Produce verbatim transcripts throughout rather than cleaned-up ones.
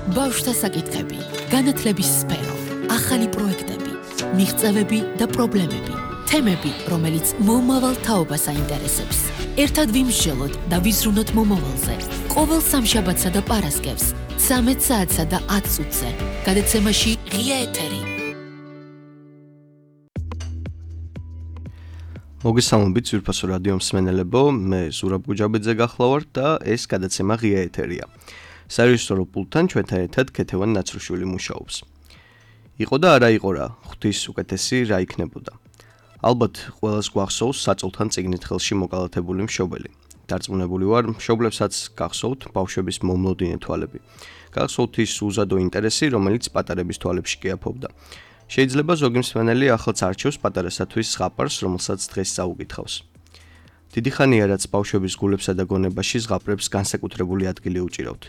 ბავშვთა საკითხები, განათლების სფერო, ახალი პროექტები, მიღწევები და პრობლემები, თემები, რომელიც მომავალ თაობას აინტერესებს. ერთად ვიმსჯელოთ და ვიზრუნოთ მომავალზე. ყოველ სამშაბათსა და პარასკევს, ცამეტ საათსა და ათ წუთზე. გადაცემაში ღია ეთერი. მოგესალმებით ძვირფასო რადიო მსმენელებო, მე ზურაბ გუჯაბეძე გახლავართ და ეს გადაცემა ღია ეთერია. სარეჟისორო პულტთან ჩვენთან ერთად ქეთევან ნაცრუშვილი მუშაობს. იყო და არა იყო რა, ღვთის უკეთესი რა იქნებოდა. ალბათ ყველას გვახსოვს საწოლთან წიგნით ხელში მოკალათებული მშობელი. დარწმუნებული ვარ, მშობლებსაც გახსოვთ ბავშვების მომლოდინე თვალები. გახსოვთ ის უზადო ინტერესი, რომელიც პატარების თვალებში კი აფობდა. შეიძლება ზოგი მსმენელი ახლაც არჩევს პატარასათვის ზღაპარს, რომელსაც დღეს წაუკითხავს. დიდი ხანია, რაც ბავშვების გულებსა და გონებაში ზღაპრებს განსაკუთრებული ადგილი უჭირავთ.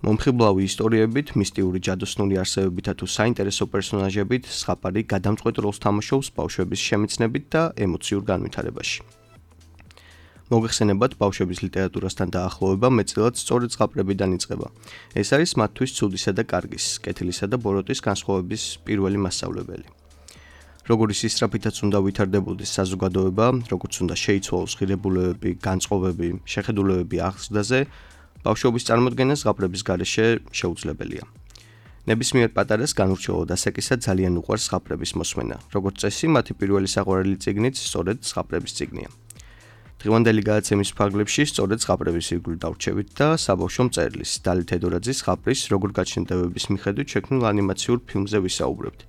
მომხიბლავი ისტორიებით, მისტიური ჯადოსნური არსებებითა თუ საინტერესო პერსონაჟებით ზღაპარი გადამწყვეტ როლს თამაშობს ბავშვების შემეცნებით და ემოციურ განვითარებაში. მოგეხსენებათ, ბავშვების ლიტერატურასთან დაახლოვება მეტწილად სწორედ ზღაპრებიდან იწყება. ეს არის მათთვის ცუდისა და კარგის, კეთილისა და ბოროტის განსხვავების პირველი მასწავლებელი. როგორი სისწრაფითაც უნდა ვითარდებოდეს საზოგადოება, როგორც უნდა შეიცვალოს ღირებულებები, განწყობები, შეხედულებები აღზრდაზე, ბავშვობის წარმოდგენა ზღაპრების გარეშე შეუძლებელია. ნებისმიერ პატარას განურჩევლად ასაკისა ძალიან უყვარს ზღაპრების მოსმენა. როგორც წესი, მათი პირველი საყვარელი წიგნიც სწორედ ზღაპრების წიგნია. დღევანდელი გადაცემის ფარგლებში სწორედ ზღაპრების ირგვლივ დავრჩებით და საბავშვო მწერლის დალი თედორაძის ზღაპრის როგორ გაჩნდებების მიხედვით შექმნილ ანიმაციურ ფილმზე ვისაუბრებთ,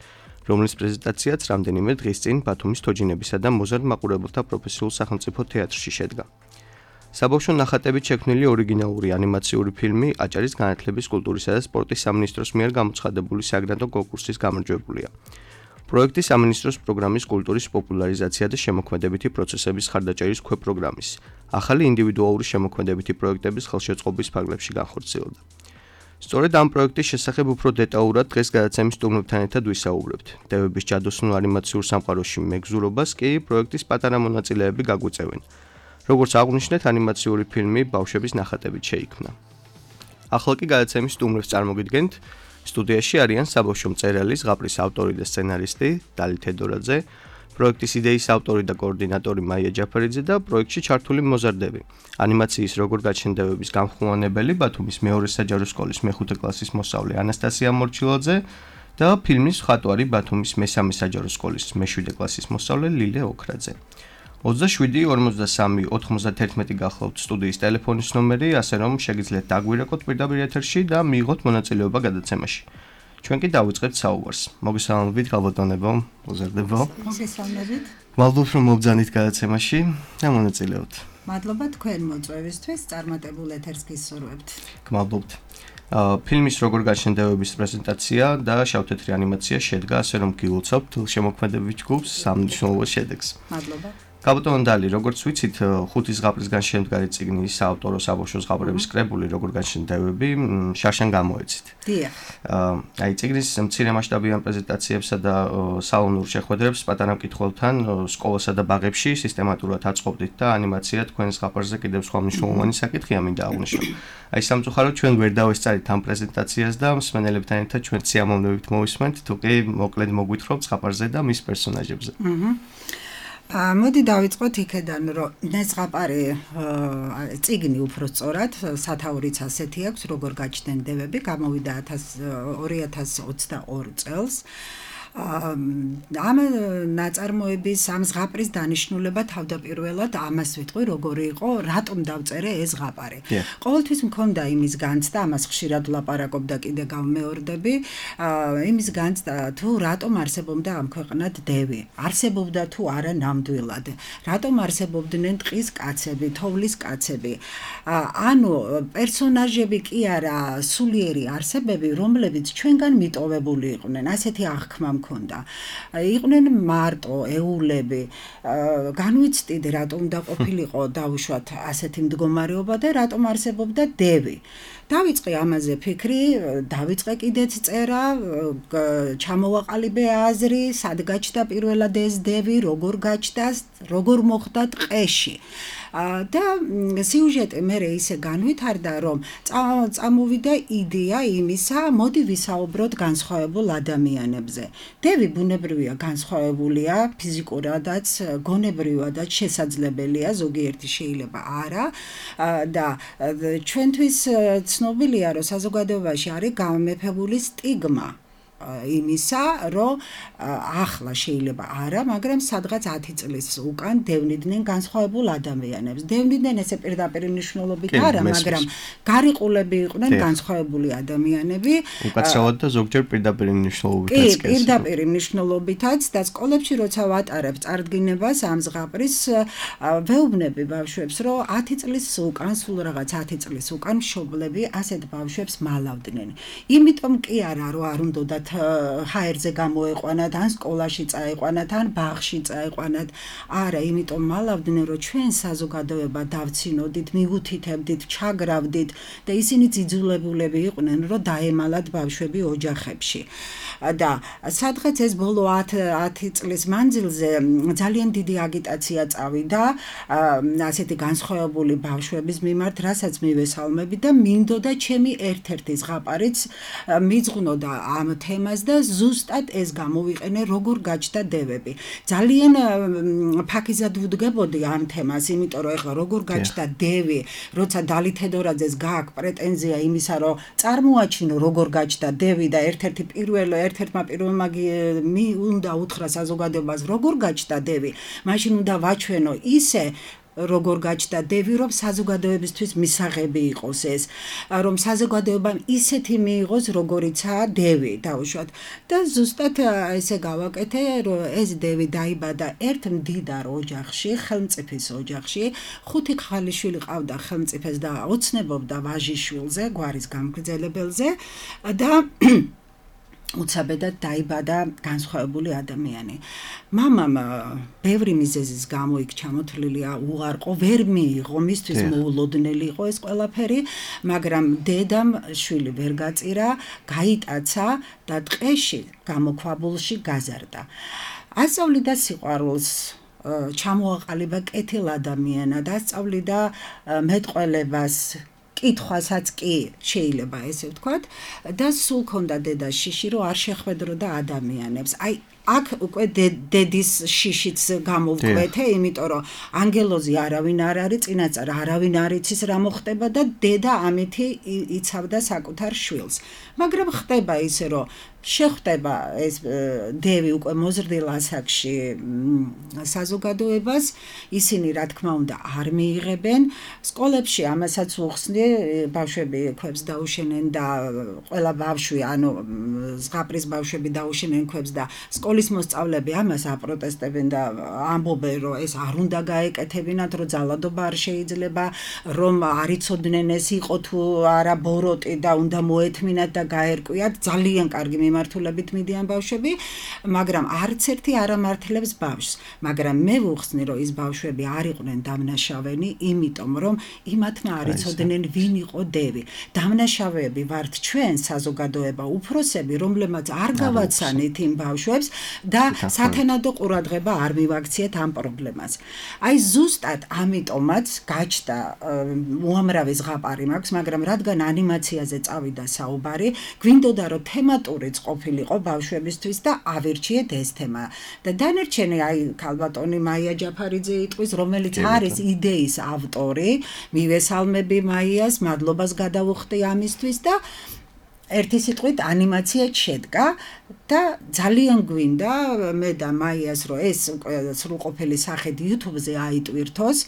რომლის პრეზენტაციაც რამდენიმე დღის წინ ბათუმის თოჯინებისა და მოზარდ მაყურებელთა პროფესიულ სახელმწიფო თეატრში შედგა. საბავშვო ნახატებით შექმნილი ორიგინალური ანიმაციური ფილმი აჭარის განათლების, კულტურისა და სპორტის სამინისტროს მიერ გამოცხადებული საგრანტო კონკურსის გამარჯვებულია. პროექტი სამინისტროს პროგრამის კულტურის პოპულარიზაცია და შემოქმედებითი პროცესების ხარდაჭერის ქვეპროგრამის, ახალი ინდივიდუალური შემოქმედებითი პროექტების ხელშეწყობის ფარგლებში განხორციელდა. სწორედ ამ პროექტის შესახებ უფრო დეტალურად დღეს გადაცემის სტუმრებთან ერთად ვისაუბრებთ. დევების ჯადოსნურ ანიმაციურ სამყაროში მეგზურობას კი პროექტის პატარა მონაწილეები გაგვიწევენ. როგორც აღვნიშნეთ, ანიმაციური ფილმი ბავშვების ნახატებით შეიქმნა. ახლა კი გადაცემის სტუმრებს წარმოგიდგენთ. სტუდიაში არიან საბავშვო მწერალი, ზღაპრის ავტორი და სცენარისტი დალი თედორაძე, პროექტის იდეის ავტორი და კოორდინატორი მაია ჯაფერიძე და პროექტში ჩართული მოზარდები. ანიმაციის როგორ გაჩნდებების გამხმოვანებელი ბათუმის მეორე საჯარო სკოლის მეხუთე კლასის მოსწავლე ანასტასია მორჩილაძე და ფილმის მხატვარი ბათუმის მესამე საჯარო სკოლის მეშვიდე კლასის მოსწავლე ლილე ოქრაძე. ოცდაშვიდი ორმოცდასამი ოთხმოცდაათერთმეტი გახლავთ სტუდიის ტელეფონის ნომერი, ასე რომ შეგიძლიათ დაგვირეკოთ პირდაპირ ეთერში და მიიღოთ მონაწილეობა გადაცემაში. ჩვენ კი დავიწყებთ საუბარს. მოგესალმებით, გალბატონებო, მოზარდებო. მოგესალმებით. მადლობთ, რომ მობძანით გადაცემაში და მონაწილეობთ. მადლობა თქვენ მოწვევისთვის, წარმატებულ ეთერს გისურვებთ. გმადლობთ. ფილმის როგორ გაჩნდებების პრეზენტაცია და შავ-თეთრი ანიმაცია შედგა, ასე რომ გილოცავთ შემოქმედებითი ჯგუფს სამნიშნულო შედეგს. მადლობა. გალბატონ დალი, როგორც ვიცით, ხუთი ზღაპრისგან შემდგარი წიგნი საავტორო საბავშვო ზღაპრების კრებული როგორ გაჩნდებები შარშან გამოეცით. დიახ. აი წიგნის მცირე მასშტაბიან პრეზენტაციებსა და სალონურ შეხვედრებს პატარა მკითხველთან სკოლასა და ბაღებში სისტემატურად აწყობდით და ანიმაცია თქვენ ზღაპარზე კიდევ სხვა მნიშვნელოვანი საკითხია მინდა აღვნიშნო. აი სამწუხაროდ ჩვენ ვერ დავესწარით ამ პრეზენტაციას და მსმენელებთან ერთად ჩვენ სიამოვნებით მოვისმენთ, თუ კი მოკლედ მოგვითხრობთ ზღაპარზე და მის პერსონაჟებზე. აჰა. მოდი დავიწყოთ იქედან, რომ ზღაპარი წიგნი უფრო სწორად სათაურიც ასეთი აქვს, როგორ გაჩნდნენ დევები, გამოვიდა ორი ათას ოცდაორი წელს. ამ ნაწარმოების ამ ზღაპრის დანიშნულება თავდაპირველად ამას ვიტყვი, როგორი იყო, რატომ დავწერე ეს ზღაპარი. ყოველთვის მქონდა იმის განცდა, ამას ხშირად ვლაპარაკობდა კიდე გავმეორდები, იმის განცდა თუ რატომ არსებობდა ამ ქვეყნად დევი, არსებობდა თუ არა ნამდვილად, რატომ არსებობდნენ ტყის კაცები, თოვლის კაცები. ანუ პერსონაჟები კი არა, სულიერი არსებები, რომლებიც ჩვენგან მიტოვებული იყვნენ, ასეთი აღქმა მქონდა. იყვნენ მარტო ეულები. განვიცდით, რატომ უნდა ყოფილიყო დავუშვათ ასეთი მდგომარეობა და რატომ არსებობდა დევი. დავიწყე ამაზე ფიქრი, დავიწყე კიდეც წერა, ჩამოვაყალიბე აზრი, სად გაჩნდა პირველად ეს დევი, როგორ გაჩნდა, როგორ მოხდა ტყეში. და სიუჟეტი მე ისე განვითარდა, რომ წამოვიდა იდეა იმისა, მოდი ვისაუბროთ განსხვავებულ ადამიანებზე. დევი ბუნებრივია, განსხვავებულია, ფიზიკურადაც, გონებრივადაც შესაძლებელია, ზოგიერთი შეიძლება არა და ჩვენთვის ცნობილია, რომ საზოგადოებაში არის გამეფებული სტიგმა იმისა, რომ ახლა შეიძლება არა, მაგრამ სადღაც ათი წლის უკან დევნიდნენ განსხვავებულ ადამიანებს. დევნიდნენ ესე პირდაპირ მნიშვნელობით არა, მაგრამ გარიყულები იყვნენ განსხვავებული ადამიანები. უკაცრავად და ზოგჯერ პირდაპირ მნიშვნელობითაც კი, პირდაპირ მნიშვნელობითაც და სკოლებში როცა ვატარებ წარდგინებას ამ ზღაპრის, ვეუბნები ბავშვებს, რომ ათი წლის უკან, სულ რაღაც ათი წლის უკან მშობლები ასეთ ბავშვებს მალავდნენ. იმიტომ კი არა, რომ არ უნდათ ჰაერზე გამოეყვანათ, ან სკოლაში წაეყვანათ, ან ბაღში წაეყვანათ. არა, იმიტომ მალავდნენ, რომ ჩვენ საზოგადოება დავცინოდით, მიუთითებდით, ჩაგრავდით და ისინი ძიძულებულები იყვნენ, რომ დაემალათ ბავშვები ოჯახებში. და სადღაც ეს ბოლო ათი წლის მანძილზე ძალიან დიდი აგიტაცია წავიდა ასეთი განსხვავებული ბავშვების მიმართ, რასაც მივესალმები და მინდოდა ჩემი ერთ-ერთი ზღაპარიც მიძღვნოდა ამ თემას და ზუსტად ეს გამოვიყენე, როგორ გაჩნდა დევები. ძალიან ფაქიზად ვუდგებოდი ამ თემას, იმიტომ რომ ეხლა როგორ გაჩნდა დევი, როცა დალი თედორაძეს გააქვს პრეტენზია იმისა, რომ წარმოაჩინო როგორ გაჩნდა დევი და ერთ-ერთი პირველი ერთ-ერთმა პირველმა მი უნდა უთხრა საზოგადოებას, როგორ გაჩნდა დევი, მაშინ უნდა ვაჩვენო ისე როგორ გაჩნდა დევი, რომ საზოგადოებისთვის მისაღები იყოს ეს, რომ საზოგადოებამ ისეთი მიიღოს, როგორიცაა დევი, დაუშვათ. და ზუსტად ესე გავაკეთე, რომ ეს დევი დაიბადა ერთ მდიდარ ოჯახში, ხელმწიფის ოჯახში, ხუთი ხალიშვილი ყავდა ხელმწიფეს და ოცნებობდა ვაჟიშვილზე, გვარის გამგრძელებელზე და უცაბედად დაიბადა განსხვავებული ადამიანი. მამამ ბევრი მიზეზის გამო იქ ჩამოთვლილია უარყო, ვერ მიიღო, მისთვის მოულოდნელი იყო ეს ყველაფერი, მაგრამ დედამ შვილი ვერ გაწირა, გაიტაცა და ტყეში, გამოქვაბულში გაზარდა. ასწავლიდა სიყვარულს, ჩამოაყალიბა კეთილ ადამიანად, ასწავლიდა მეტყველებას, კითხვასაც კი შეიძლება ესე ვთქვათ და სულ ქონდა დედას შიში, რომ არ შეხვედროდა ადამიანებს. აი აქ უკვე დედის შიშიც გამოვკვეთე, იმიტომ რომ ანგელოზი არავინ არ არის, წინაწარ არავინ არ იცის რა მოხდება და დედა ამითი იცავდა საკუთარ შვილს. მაგრამ ხდება ისე, რომ შეხვდება ეს დევი უკვე მოზრდილ ასაკში საზოგადოებას, ისინი რა თქმა უნდა არ მიიღებენ. სკოლებში ამასაც უხსნი, ბავშვები ქვებს დაუშენენ და ყველა ბავშვი, ანუ ზღაპრის ბავშვები დაუშენენ ქვებს და სკოლის მოსწავლეები ამას აპროტესტებენ და ამბობენ, რომ ეს არ უნდა გაეკეთებინათ, რომ ძალადობა არ შეიძლება, რომ არ იცოდნენ ეს იყო თუ არა ბოროტი და უნდა მოეთმინათ და გაერკვიათ. ძალიან კარგი მიმართულებით მიდიან ბავშვები, მაგრამ არც ერთი არ ამართლებს ბავშვს. მაგრამ მე ვუხსნი, რომ ის ბავშვები არ იყვნენ დამნაშავენი, იმიტომ რომ იმათმა არ იცოდნენ ვინ იყო დევი. დამნაშავეები ვართ ჩვენ საზოგადოება, უფროსები, რომლებმაც არ გავაცანით იმ ბავშვებს და სათანადო ყურადღება არ მივაქციეთ ამ პრობლემას. აი ზუსტად ამიტომაც გაჩნდა უამრავი ზღაპარი მაქვს, მაგრამ რადგან ანიმაციაზე წავიდა საუბარი, გვინდოდა რომ თემატურიც ყოფილიყო ბავშვებისთვის და ავირჩიეთ ეს თემა. და დანარჩენი აი ქალბატონი მაია ჯაფარიძე იტყვის, რომელიც არის იდეის ავტორი, მივესალმები მაიას, მადლობას გადავუხდი ამისთვის და ერთი სიტყვით ანიმაცია შედგა და ძალიან გვინდა მე და მაიას რომ ეს სრულყოფილი სახედ YouTube-ზე აიტვირთოს.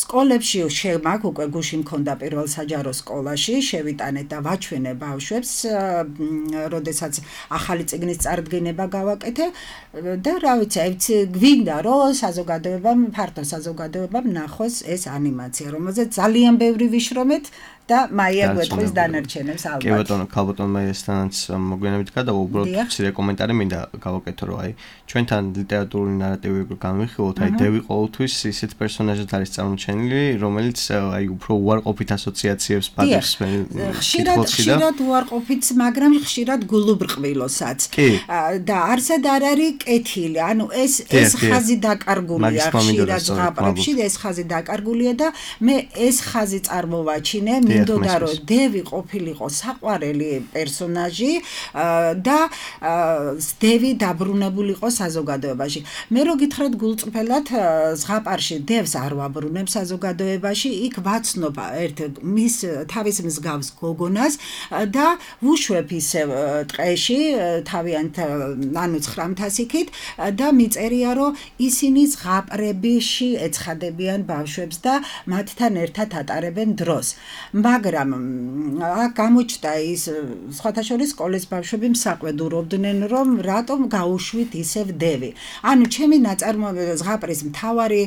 სკოლებში შემაგ უკვე გუში მქონდა პირველ საჯარო სკოლაში, შევიტანეთ და ვაჩვენე ბავშვებს, როდესაც ახალი წიგნის წარდგინება გავაკეთე და რა ვიცი, გვინდა რომ საზოგადოებამ, ფართო საზოგადოებამ ნახოს ეს ანიმაცია, რომელზეც ძალიან ბევრი ვიშრომეთ, და მაია გვეტყვის დანარჩენებს ალბათ. კი ბატონო, ქალბატონ მაიასთანაც მოგვიანებით გადავა, უბრალოდ მცირე კომენტარი მინდა გავაკეთო, რომ აი ჩვენთან ლიტერატურული ნარატივი გავიხილოთ, აი დევი ყოველთვის ისეთ პერსონაჟად არის წარმოჩენილი, რომელიც აი უფრო უარყოფით ასოციაციებს პატივს ხშირად ხშირად უარყოფით, მაგრამ ხშირად გულუბრყვილოსაც. და არსად არ არის კეთილი, ანუ ეს ეს ხაზი დაკარგულია ხშირად ზღაპრებში, ეს ხაზი დაკარგულია და მე ეს ხაზი წარმოვაჩინე, მინდოდა რომ დევი ყოფილიყო საყვარელი პერსონაჟი და დევი დაბრუნებულიყო საზოგადოებაში. მე რო გითხრათ გულწრფელად ზღაპარში დევს არ ვაბრუნებ საზოგადოებაში, იქ ვაცნობ ერთ მის თავის მსგავს გოგონას და ვუშვებ ისე ტყეში თავიანთ ანუ ცხრამთასიქით და მიწერია რომ ისინი ზღაპრებიში ეცხადებიან ბავშვებს და მათთან ერთად ატარებენ დროს. მაგრამ აქ გამოჩნდა ის სხვათა შორის სკოლის ბავშვები მსაყვედურობდნენ რომ რატომ გაუშვით ისევ დევი. ანუ ჩემი ნაწარმოები ზღაპრის მთავარი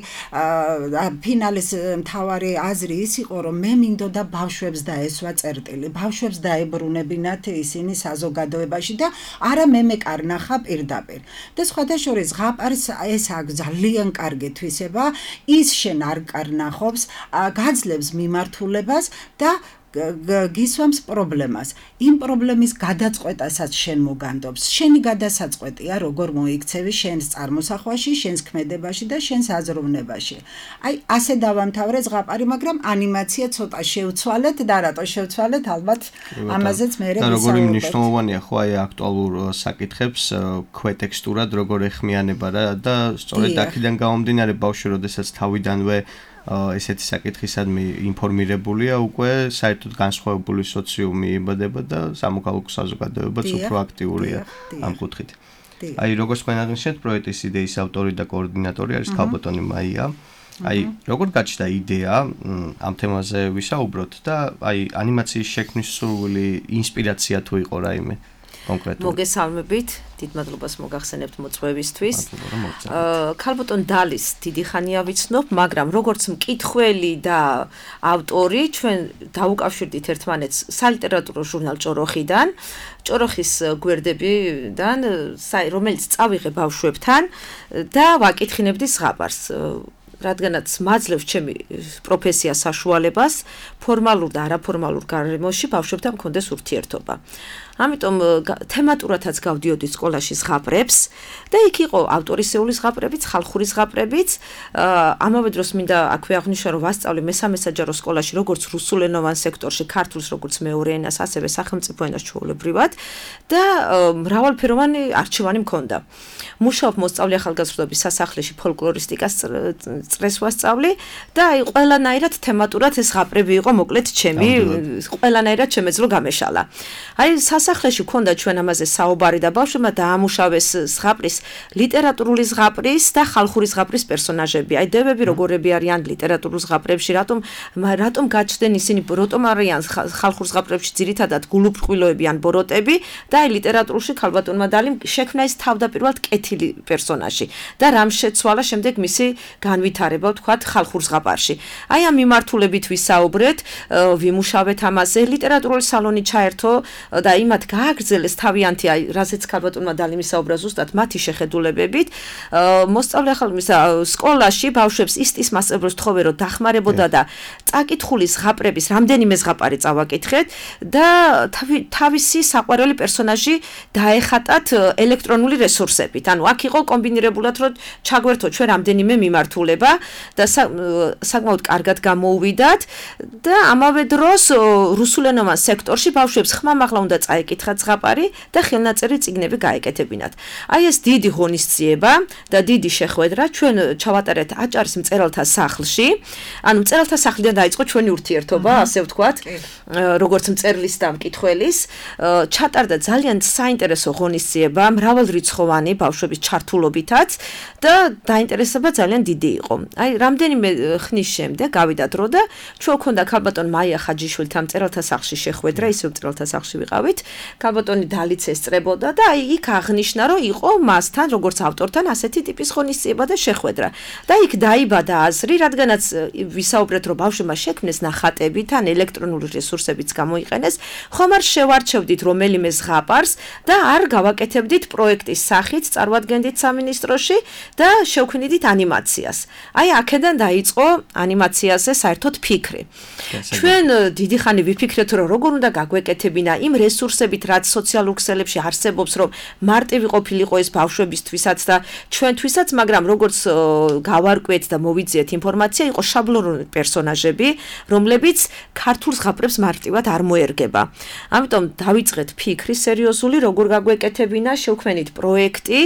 ფინალის მთავარი აზრი ის იყო რომ მე მინდოდა ბავშვებს დაესვა წერტილი, ბავშვებს დაებრუნებინათ ისინი საზოგადოებაში და არა მე მეკარნახა პირდაპირ. და სხვათა შორის ზღაპარს ეს აქვს ძალიან კარგი თვისება, ის შენ არ კარნახობს, გაძლევს მიმართულებას და გისვამს პრობლემას. იმ პრობლემის გადაწყვეტასაც შენ მოგანდობს. შენი გადასაწყვეტია, როგორ მოიქცევი შენს წარმოსახვაში, შენს ქმედებაში და შენს აზროვნებაში. აი, ასე დავამთავრე ზღაპარი, მაგრამ ანიმაცია ცოტა შევცვალეთ და რატო შევცვალეთ, ალბათ ამაზეც მე და როგორი მნიშვნელოვანია ხო აი აქტუალურ საკითხებს ქვეტექსტურად როგორ ეხმიანება რა და სწორედ აქედან გამომდინარე ბავშვი როდესაც თავიდანვე ესეთი საკითხისადმი ინფორმირებულია, უკვე საერთოდ განსხვავებული სოციუმი იბადება და სამოქალაქო საზოგადოებაც უფრო აქტიურია ამ კუთხით. აი, როგორც თქვენ აღნიშნეთ, პროექტის იდეის ავტორი და კოორდინატორი არის ქალბატონი მაია. აი, როგორ გაჩნდა იდეა ამ თემაზე ვისაუბროთ და აი, ანიმაციის შექმნის სურვილი, ინსპირაცია თუ იყო რაიმე კონკრეტულად. მოგესალმებით, დიდ მადლობას მოგახსენებთ მოწვევისთვის. ქალბატონ დალის დიდი ხანია ვიცნობ, მაგრამ როგორც მკითხველი და ავტორი, ჩვენ დაუკავშირდით ერთმანეთს სალიტერატურო ჟურნალ ჭოროხიდან, ჭოროხის გვერდებიდან, რომელიც წავიღე ბავშვებთან და ვაკითხინებდი ზღაპარს. რადგანაც მაძლევს ჩემი პროფესია საშუალებას, ფორმალურ და არაფორმალურ გარემოში ბავშვებთან მქონდეს ურთიერთობა. ამიტომ თემატურათაც გავდიოდი სკოლაში ზღაპრებს და იქ იყო ავტორისეული ზღაპრებიც, ხალხური ზღაპრებიც. ამავე დროს მინდა აქვე აღნიშნო, რომ ვასწავლე მესამე საჯარო სკოლაში როგორც რუსულენოვან სექტორში, ქართულს როგორც მეორე ენას, ასევე სახელმწიფო ენას ჩვეულებრივად და მრავალფეროვანი არჩევანი მქონდა. მუშაობ მოსწავლე ახალგაზრდობის სასახლეში ფოლკლორისტიკას წრეს ვასწავლი და აი ყველანაირად თემატურად ეს ზღაპრები იყო მოკლედ ჩემი, ყველანაირად შემეძლო გამეშალა. აი სასახლეში ქონდა ჩვენ ამაზე საუბარი და ბავშვებმა დაამუშავეს ზღაპრის ლიტერატურული ზღაპრის და ხალხური ზღაპრის პერსონაჟები. აი დევები როგორები არიან ლიტერატურულ ზღაპრებში, რატომ რატომ გაჩნდნენ ისინი, რატომ არიან ხალხურ ზღაპრებში ძირითადად გულუბრყვილოები ან ბოროტები და აი ლიტერატურაში ქალბატონმა დალიმ შექმნა ის თავდაპირველად კეთილი პერსონაჟი და რამ შეცვალა შემდეგ მისი განვითარება, ვთქვათ, ხალხურ ზღაპარში. აი ამ მიმართულებით ვისაუბრეთ, ვიმუშავეთ ამაზე, ლიტერატურული სალონი ჩაერთო და იმათ გააგრძელეს თავიანთი, აი, რასაც ქალბატონმა დალიმ ისაუბრა ზუსტად მათი შეხედულებებით. მოსწავლე ახალგაზრდა სკოლაში ბავშვებს ისტის მასწავლებლებს თხოვე რომ დახმარებოდა და წაკითხული ზღაპრების რამდენიმე ზღაპარი წავაკითხეთ და თავისი საყვარელი პერსონაჟი დაეხატათ ელექტრონული რესურსებით. ანუ აქ იყო კომბინირებულად რომ ჩაგვერთო ჩვენ რამდენიმე მიმართულება და საკმაოდ კარგად გამოუვიდათ და ამავე დროს რუსულენოვან სექტორში ბავშვებს ხმამაღლა უნდა წაეკითხათ ზღაპარი და ხელნაწერი წიგნები გაეკეთებინათ. აი ეს დიდი ღონისძიება და დიდი შეხვედრა ჩვენ ჩავატარეთ აჭარის მწერალთა სახლში. ანუ მწერალთა სახლიდან დაიწყო ჩვენი ურთიერთობა, ასე ვთქვათ, როგორც მწერლის და მკითხველის. ჩატარდა ძალიან საინტერესო ღონისძიება, მრავალრიცხოვანი ბავშვების ჩართულობითაც და დაინტერესება ძალიან დიდი იყო. აი რამდენიმე ხნის შემდეგ გავიდა დრო და ჩვენ ქონდა ქალბატონ მაია ხაჯიშვილთან მწერალთა სახლში შეხვედრა, ისევ მწერალთა სახლში ვიყავით. ქალბატონი დალიც ესწრებოდა და აი იქ აღნიშნა, რომ იყო მასთან, როგორც ავტორთან, ასეთი ტიპის ღონისძიება და შეხვედრა. და იქ დაიბადა აზრი, რადგანაც ვისაუბრეთ, რომ ბავშვებმა შექმნეს ნახატები, თან ელექტრონული რესურსებიც გამოიყენეს, ხომ არ შევარჩევდით რომელიმე ზღაპარს და არ გავაკეთებდით პროექტის სახით, წარმოადგენდით სამინისტროში და შევქმნიდით ანიმაციას. აი აქედან დაიწყო ანიმაციაზე საერთოდ ფიქრი. ჩვენ დიდი ხანი ვიფიქრეთ, რომ როგორ უნდა გაგვეკეთებინა იმ რესურსებით, რაც სოციალურ ქსელებში არსებობს, რომ მარტივი ყოფილიყო ეს ბავშვებისთვისაც და ჩვენთვისაც, მაგრამ როგორც გავარკვიეთ და მოვიძიეთ ინფორმაცია, იყო შაბლონური პერსონაჟები, რომლებიც ქართულ ზღაპრებს მარტივად არ მოერგება. ამიტომ დავიწყეთ ფიქრი სერიოზული, როგორ გაგვეკეთებინა, შევქმნით პროექტი,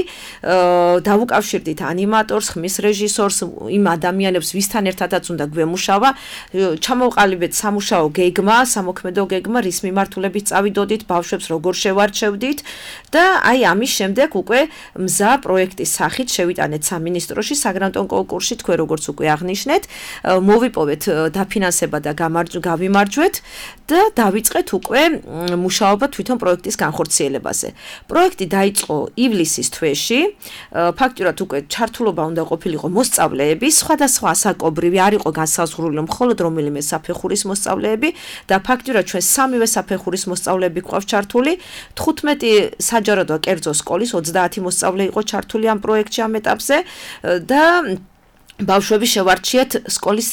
დავუკავშირდით ანიმატორს, ხმის რეჟისორს, იმ ადამიანებს, ვისთან ერთადაც უნდა გვემუშავა, ჩამოვყალიბეთ სამუშაო გეგმა, სამოქმედო გეგმა, რის მიმართულებით წავიდოდით, ბავშვებს როგორ შევარჩევდით და აი ამის შემდეგ უკვე მზა პროექტის სახით შევიტანეთ სამინისტროში საგრანტო კონკურსში, თქვენ როგორც უკვე აღნიშნეთ, მოვიპოვეთ დაფინანსება და გავიმარჯვეთ და დავიწყეთ უკვე მუშაობა თვითონ პროექტის განხორციელებაზე. პროექტი დაიწყო ივლისის თვეში, ფაქტურად უკვე ჩართულობა უნდა ყოფილიყო მოსწავლეები, სხვადასხვა ასაკობრივი, არ იყო განსაზღვრული მხოლოდ რომელიმე საფეხურის მოსწავლეები და ფაქტურად ჩვენ სამივე საფეხურის მოსწავლეები გვყავს ჩართული, თხუთმეტი საჯარო და კერძო სკოლის ოცდაათი მოსწავლე იყო ჩართული ამ პროექტში ამ ეტაპზე და ბავშვები შევარჩიეთ სკოლის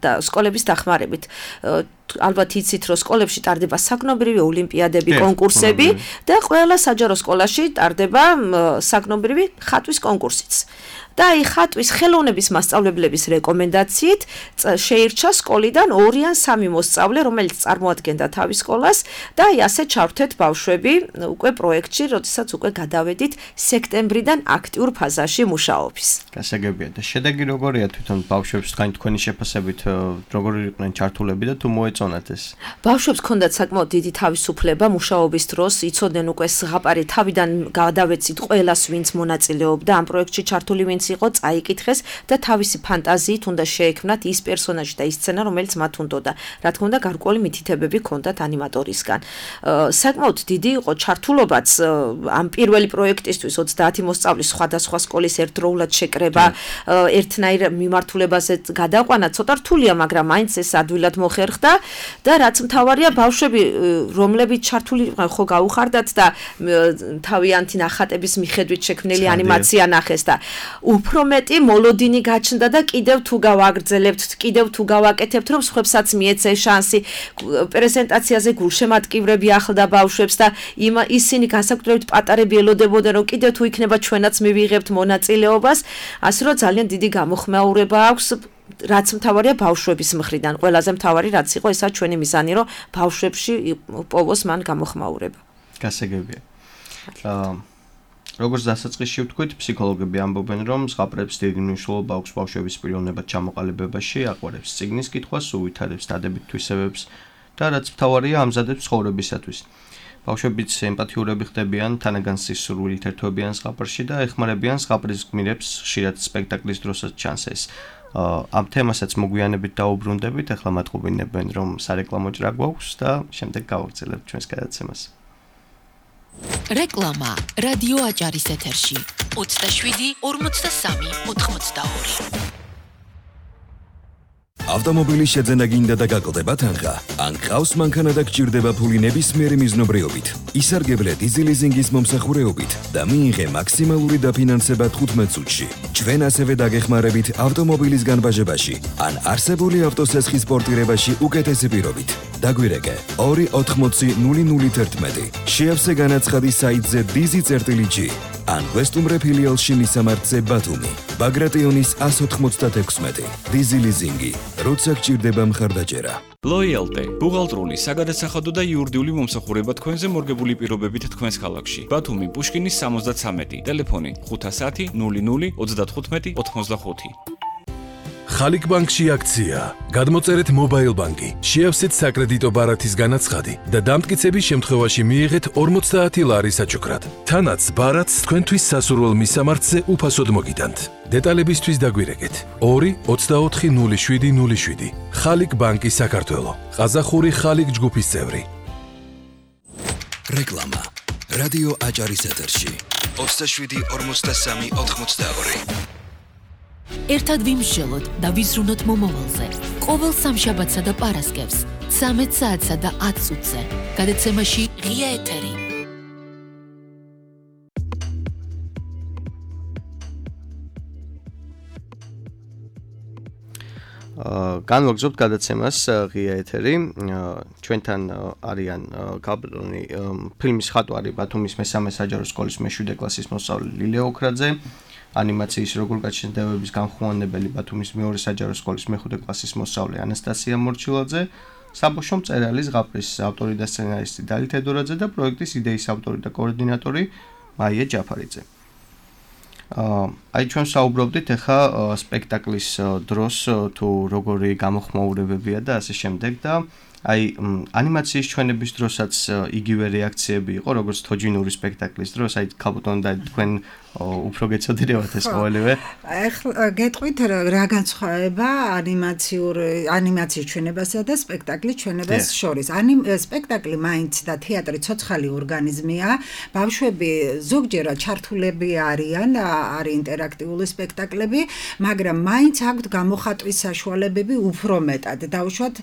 და სკოლების დახმარებით. ალბათ იცით, რომ სკოლებში ტარდება საგნობრივი ოლიმპიადები, კონკურსები და ყველა საჯარო სკოლაში ტარდება საგნობრივი ხატვის კონკურსიც. და აი ხატვის ხელოვნების მასწავლებლების რეკომენდაციით შეირჩა სკოლიდან ორი ან სამი მოსწავლე, რომელიც წარმოადგენდა თავის სკოლას და აი ასე ჩავრთეთ ბავშვები უკვე პროექტში, როდესაც უკვე გადავედით სექტემბრიდან აქტიურ ფაზაში მუშაობის. გასაგებია და შედეგი როგორია თვითონ ბავშვებს თქვენი თქვენი შეფასებით როგორი იყვნენ ჩართულები და თუ მოეწონათ ეს? ბავშვებს ჰქონდათ საკმაოდ დიდი თავისუფლება მუშაობის დროს, იცოდნენ უკვე ზღაპარი თავიდან გადავეცით ყველას, ვინც მონაწილეობდა ამ პროექტში ჩართული, ვინც იყო წაიკითხეს და თავისი ფანტაზიით უნდა შეექმნათ ის პერსონაჟი და ის სცენა, რომელიც მათ უნდოდა. რა თქმა უნდა, გარკვეული მითითებები ჰქონდათ ანიმატორისგან. საკმაოდ დიდი იყო ჩართულობაც ამ პირველი პროექტისთვის ოცდაათი მოსწავლის სხვადასხვა სკოლის ერთდროულად შეკრება, ერთნაირ მიმართულებაზე გადაყვანა ცოტა რთულია, მაგრამ მაინც ეს ადვილად მოხერხდა და რაც მთავარია, ბავშვები, რომლებიც ჩართული იყვნენ, ხო გაუხარდათ და თავიანთი ნახატების მიხედვით შექმნილი ანიმაცია ნახეს და უფრო მეტი მოლოდინი გაჩნდა და კიდევ თუ გავაგრძელებთ, კიდევ თუ გავაკეთებთ, რომ სხვებსაც მიეცე შანსი. პრეზენტაციაზე გულშემატკივრები ახლდა ბავშვებს და ისინი განსაკუთრებით პატარები ელოდებოდნენ, რომ კიდევ თუ იქნება ჩვენაც მივიღებთ მონაწილეობას, ასე რომ ძალიან დიდი გამოხმაურება აქვს. რაც მთავარია ბავშვების მხრიდან, ყველაზე მთავარი რაც იყო, ესაა ჩვენი მიზანი, რომ ბავშვებში პოვოს მან გამოხმაურება. გასაგებია. აა როგორც დასაწყისში ვთქვით, ფსიქოლოგები ამბობენ, რომ ზღაპრებს დიდი მნიშვნელობა აქვს ბავშვების პიროვნებად ჩამოყალიბებაში, აყვარებს წიგნის კითხვას, უვითარებს დადებით თვისებებს და რაც მთავარია, ამზადებს ცხოვრებისათვის. ბავშვებიც ემპათიურები ხდებიან, თანაგან სისურვილით ერთვებიან ზღაპრში და ეხმარებიან ზღაპრის გმირებს, ხშირად სპექტაკლის დროსაც ჩანს ეს. ამ თემასაც მოგვიანებით დაუბრუნდებით, ახლა მატყობინებენ, რომ სარეკლამო ჭრა გვაქვს და შემდეგ გავაგრძელებთ ჩვენს გადაცემას. რეკლამა რადიო აჭარის ეთერში ოცდაშვიდი ორმოცდასამი ოთხმოცდაორი. ავტომობილის შეძენა გინდა და გაკლდება თანხა? ან ყავს მანქანა და გჭირდება ფული ნებისმიერი მიზნობრიობით, ისარგებლე დიზელიზინგის მომსახურეობით და მიიღე მაქსიმალური დაფინანსება თხუთმეტ წუთში. ჩვენ ასევე დაგეხმარებით ავტომობილის განბაჟებაში ან არსებული ავტოსესხის პორტირებაში უკეთესი პირობით. დაგვირეკე ორი ოთხმოცი ნული ნული თერთმეტი. შეავსე განაცხადი საიტზე დიზი წერტილი ჯი ან ვესტუმრე ფილიალში მისამართზე ბათუმი. ბაგრატიონის ას ოთხმოცდაექვსმეტი. დიზი ლიზინგი. როცა გჭირდება მხარდაჭერა. Loyalty, ბუღალტრული, საგადასახადო და იურიდიული მომსახურება თქვენზე მორგებული პირობებით თქვენს ქალაქში. ბათუმი, პუშკინის სამოცდათვრამეტი, ტელეფონი ხუთასათი ნული ნული ოცდათხუთმეტი ოთხმოცდახუთი. ხალიკ ბანკში აქცია. გადმოწერეთ მობაილ ბანკი, შეავსეთ საკრედიტო ბარათის განაცხადი და დამტკიცების შემთხვევაში მიიღეთ ორმოცდაათი ლარი საჩუქრად. თანაც ბარათს თქვენთვის სასურველ მისამართზე უფასოდ მოგიტანთ. დეტალებისთვის დაგვირეკეთ ორი ოცდაოთხი ნული შვიდი ნული შვიდი. ხალიკ ბანკი საქართველო. ყაზახური ხალიკ ჯგუფის წევრი. რეკლამა. რადიო აჭარის ეთერში. ოცდაშვიდი ორმოცდასამი ოთხმოცდაორი. ერთად ვიმსჯელოთ და ვიზრუნოთ მომავალზე. ყოველ სამშაბათსა და პარასკევს, ცამეტ საათსა და ათ წუთზე. გადაცემაში ღია ეთერი. განვაგრძობთ გადაცემას ღია ეთერი. ჩვენთან არიან კაპიტონი ფილმის ხატვარი ბათუმის მესამე საჯარო სკოლის მეშვიდე კლასის მოსწავლე ლილე ოქრაძე, ანიმაციის როგორ გაჩნდებების განხმოვანებელი ბათუმის მეორე საჯარო სკოლის მეხუთე კლასის მოსწავლე ანასტასია მორჩილაძე, საბავშვო მწერალი ზღაპრის ავტორი და სცენარისტი დალი თედორაძე და პროექტის იდეის ავტორი და კოორდინატორი მაია ჯაფარიძე. აი ჩვენ საუბრობდით ახლა სპექტაკლის დროს თუ როგორი გამოხმაურებებია და ასე შემდეგ და აი ანიმაციის ჩვენების დროსაც იგივე რეაქციები იყო როგორც თოჯინური სპექტაკლის დროს, აი კაპიტონ და თქვენ უფრო გეცოდინებათ ეს ყოველივე. ახლა გეტყვით რა განსხვავება ანიმაციურ ანიმაციის ჩვენებასა და სპექტაკლის ჩვენებას შორის. სპექტაკლი მაინც და თეატრი ცოცხალი ორგანიზმია. ბავშვები ზოგჯერად ჩართულები არიან, არის ინტერაქტიული სპექტაკლები, მაგრამ მაინც აქვთ გამოხატვის საშუალებები უფრო მეტად. დაუშვათ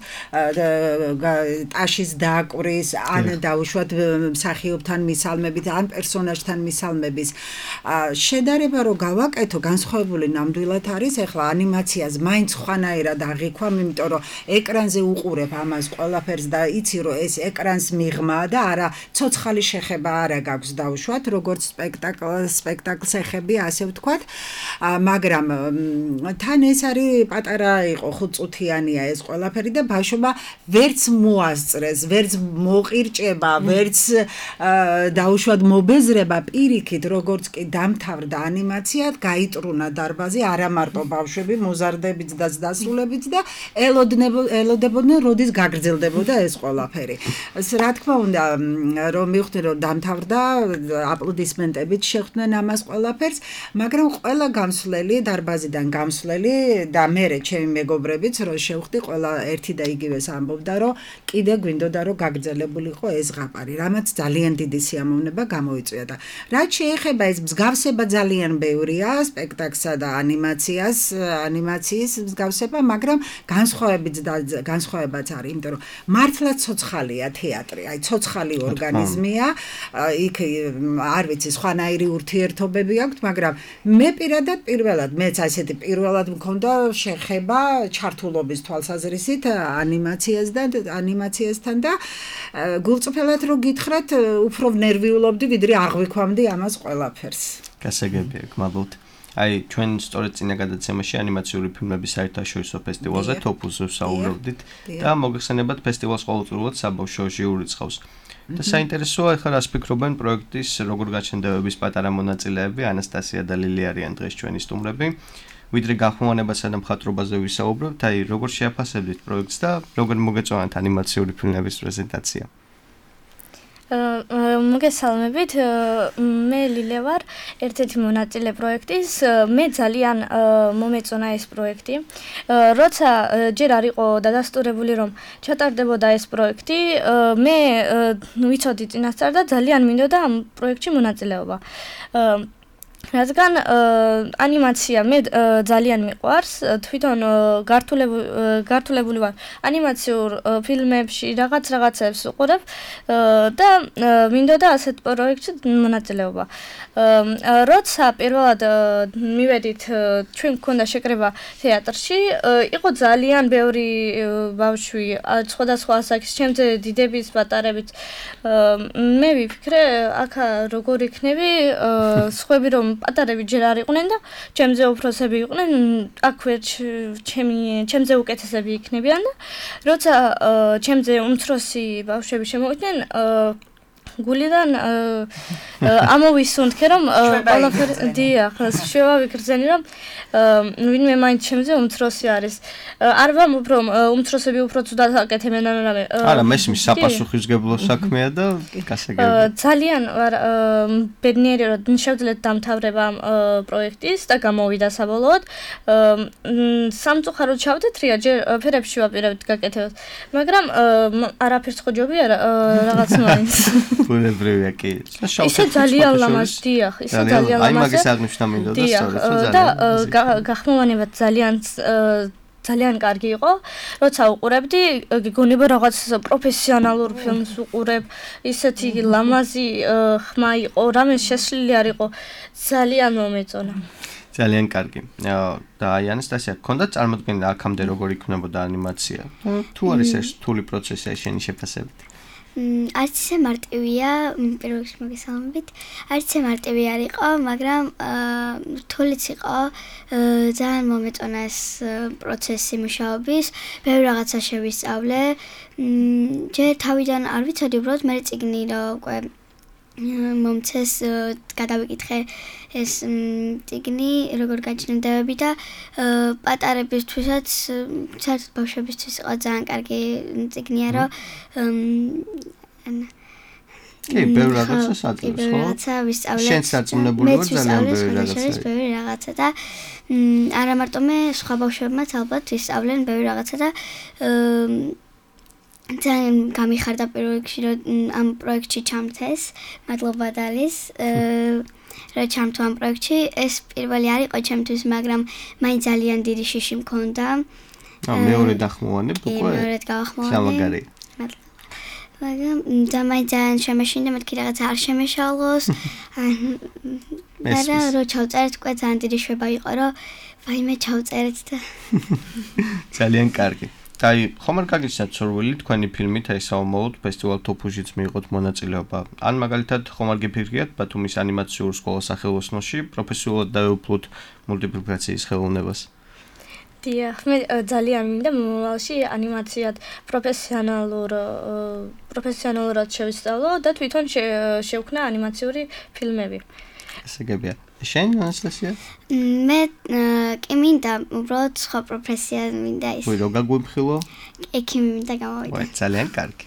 ტაშის დაკვრის, ან დაუშვათ მსახიობთან მისალმებით, ან პერსონაჟთან მისალმების შედარება რო გავაკეთო, განსხვავებული ნამდვილად არის. ახლა ანიმაციას მაინც ხვანაირად აღიქვამ, იმიტომ რომ ეკრანზე უყურებ ამას ყველაფერს და იცი რომ ეს ეკრანს მიღმა და არა ცოცხალი შეხება არა გაქვს დაუშვათ, როგორც სპექტაკლ სპექტაკლს ეხები, ასე ვთქვათ. მაგრამ თან ეს არის პატარა იყო ხუთწუთიანია ეს ყველაფერი და ბავშვობა ვერც მოასწრეს, ვერც მოყირჭება, ვერც დაუშვათ მობეზრება, პირიქით როგორც კი დამთავრდა ანიმაცია, გაიტრუნა დარბაზი, არა მარტო ბავშვები, მოზარდებიც და დასრულებიც და ელოდებოდნენ, როდის გაგრძელდებოდა ეს ყველაფერი. რა თქმა უნდა, რომ მივხვდი, რომ დამთავრდა, აპლოდისმენტებით შეხვდნენ ამას ყველაფერს, მაგრამ ყველა გამსვლელი, დარბაზიდან გამსვლელი და მერე ჩემი მეგობრებიც, რომ შევხვდი, ყველა ერთი და იგივეს ამბობდა, რომ კიდე გვინდოდა, რომ გაგრძელებულიყო ეს ზღაპარი, რამაც ძალიან დიდი სიამოვნება გამოიწვია და რაც შეეხება ეს მსგავსება ძალიან ბევრია სპექტაკლსა და ანიმაციას, ანიმაციის მსგავსება, მაგრამ განსხვავებიც და განსხვავებაც არის, იმიტომ რომ მართლა ცოცხალია თეატრი, აი ცოცხალი ორგანიზმია, იქ არ ვიცი, სხვანაირი ურთიერთობები აქვს, მაგრამ მე პირადად პირველად, მეც ასეთი პირველად მქონდა შეხება ჩართულობის თვალსაზრისით ანიმაციასთან ანიმაციასთან და გულწრფელად რო გითხრათ, უფრო ნერვიულობდი, ვიდრე აღვიქვამდი ამას ყველაფერს. გასაგებია, გმადლობთ. აი ჩვენ სწორედ წინა გადაცემაში ანიმაციური ფილმების საერთაშორისო ფესტივალზე თოფუზე ვსაუბრობდით და მოგეხსენებათ ფესტივალს ყოველწლიურად საბავშვო ჟიური ცხავს. და საინტერესოა ახლა რას ფიქრობენ პროექტის როგორ გაჩნდებების პატარა მონაწილეები, ანასტასია და ლილი არიან დღეს ჩვენი სტუმრები. ვიდრე განხმოვანებასა და მხატვრობაზე ვისაუბრებთ, აი როგორ შეაფასებთ პროექტს და როგორ მოგეწონათ ანიმაციური ფილმების პრეზენტაცია. მოგესალმებით, მე ლილე ვარ, ერთ-ერთი მონაწილე პროექტის. მე ძალიან მომეწონა ეს პროექტი. როცა ჯერ არ იყო დადასტურებული, რომ ჩატარდებოდა ეს პროექტი, მე ვიცოდი წინასწარ და ძალიან მინდოდა ამ პროექტში მონაწილეობა. რადგან ანიმაცია მე ძალიან მიყვარს, თვითონ გართულებული ვარ ანიმაციურ ფილმებში, რაღაც რაღაცებს ვუყურებ და მინდოდა ასეთ პროექტში მონაწილეობა. როცა პირველად მივედით, ჩვენ გქონდა შეკრება თეატრში, იყო ძალიან ბევრი ბავშვი, სხვადასხვა ასაკის, ჩემზე დიდების, პატარებიც. მე ვიფიქრე, აქა როგორ იქნები, სხვები რომ პატარები ჯერ არ იყვნენ და ჩემზე უფროსები იყვნენ, აქ ვერ ჩემი ჩემზე უკეთესები იქნებიან და როცა ჩემზე უმცროსი ბავშვები შემოვიდნენ, გულიდან ამოვისუნთქე რომ ყველაფერი დიახ, შევა ვიგრძენი რომ ვინმე მაინც ჩემზე უმცროსი არის. არ ვამბობ რომ უმცროსები უფრო ცუდად აკეთებენ ან რამე. არა, მესმის საპასუხისმგებლო საქმეა და გასაგებია. ძალიან ვარ ბედნიერი რომ შევძლეთ დამთავრება ამ პროექტის და გამოვიდა საბოლოოდ. სამწუხაროდ ჩავდეთ რია ჯერ ფერებში ვაპირებთ გაკეთებას, მაგრამ არაფერს ხო ჯობი არა რაღაც მაინც. ბუნებრივია კი. ისე ძალიან ლამაზ დიახ, ისე ძალიან ლამაზ. აი მაგის აღნიშნა მინდოდა სწორედ რომ და გახმოვანება ძალიან ძალიან კარგი იყო, როცა უყურებდი, გიგონება რაღაც პროფესიონალურ ფილმს უყურებ, ისეთი ლამაზი ხმა იყო, რამე შესლილი არ იყო, ძალიან მომეწონა. ძალიან კარგი. და აი ანასტასია, გქონდა წარმოდგენა აქამდე როგორ იქნებოდა ანიმაცია? თუ არის ეს რთული პროცესი აი შენი შეფასებით? არც ისე მარტივია, პირველ რიგში მოგესალმებით. არც ისე მარტივი არ იყო, მაგრამ რთულიც იყო. ძალიან მომეწონა ეს პროცესი მუშაობის. ბევრი რაღაცა შევისწავლე. ჯერ თავიდან არ ვიცოდი, უბრალოდ მე წიგნი რო უკვე მომცეს გადავიკითხე ეს წიგნი როგორ გაჩნდებები და პატარებისთვისაც საერთოდ ბავშვებისთვის იყო ძალიან კარგი წიგნია რომ კი ბევრი რაღაცა საწყობს ხო? რაღაცა ვისწავლე. შენ სარწმუნებული ვარ ძალიან ბევრი რაღაცა. ბევრი რაღაცა და არა მარტო მე სხვა ბავშვებმაც ალბათ ვისწავლენ ბევრი რაღაცა და ძალიან გამიხარდა პირველ რიგში რომ ამ პროექტში ჩამთეს. მადლობა დალის. რომ ჩამთვა ამ პროექტში. ეს პირველი არ იყო ჩემთვის, მაგრამ მაინც ძალიან დიდი შიში მქონდა. აა მეორე დახმოვანებ უკვე. მეორე გავახმოვანე. სამაგარი. მაგრამ ძალიან ძალიან შემეშინდა, მეთქი რაღაცა არ შემეშალოს. მაგრამ რო ჩავწერეთ უკვე ძალიან დიდი შვება იყო, რომ ვაიმე ჩავწერეთ და ძალიან კარგი. აი, ხომ არ გაგიცნათ სურვილი თქვენი ფილმით აი საომოლოდ ფესტივალ თოფუჟიც მიიღოთ მონაწილეობა. ან მაგალითად ხომ არ გიფიქრიათ ბათუმის ანიმაციურ სკოლას სახელოსნოში პროფესიულად დაეუფლოთ მულტიპლიკაციის ხელოვნებას? დიახ, მე ძალიან მინდა მომავალში ანიმაციად პროფესიონალურ პროფესიონალურად შევისწავლო და თვითონ შევქნა ანიმაციური ფილმები. გასაგებია. შენ ანასტასია? მე კი მინდა უბრალოდ სხვა პროფესია მინდა ის. ვი რო გაგვიფხილო? კი მინდა გამოვიდა. ვაი, ძალიან კარგი.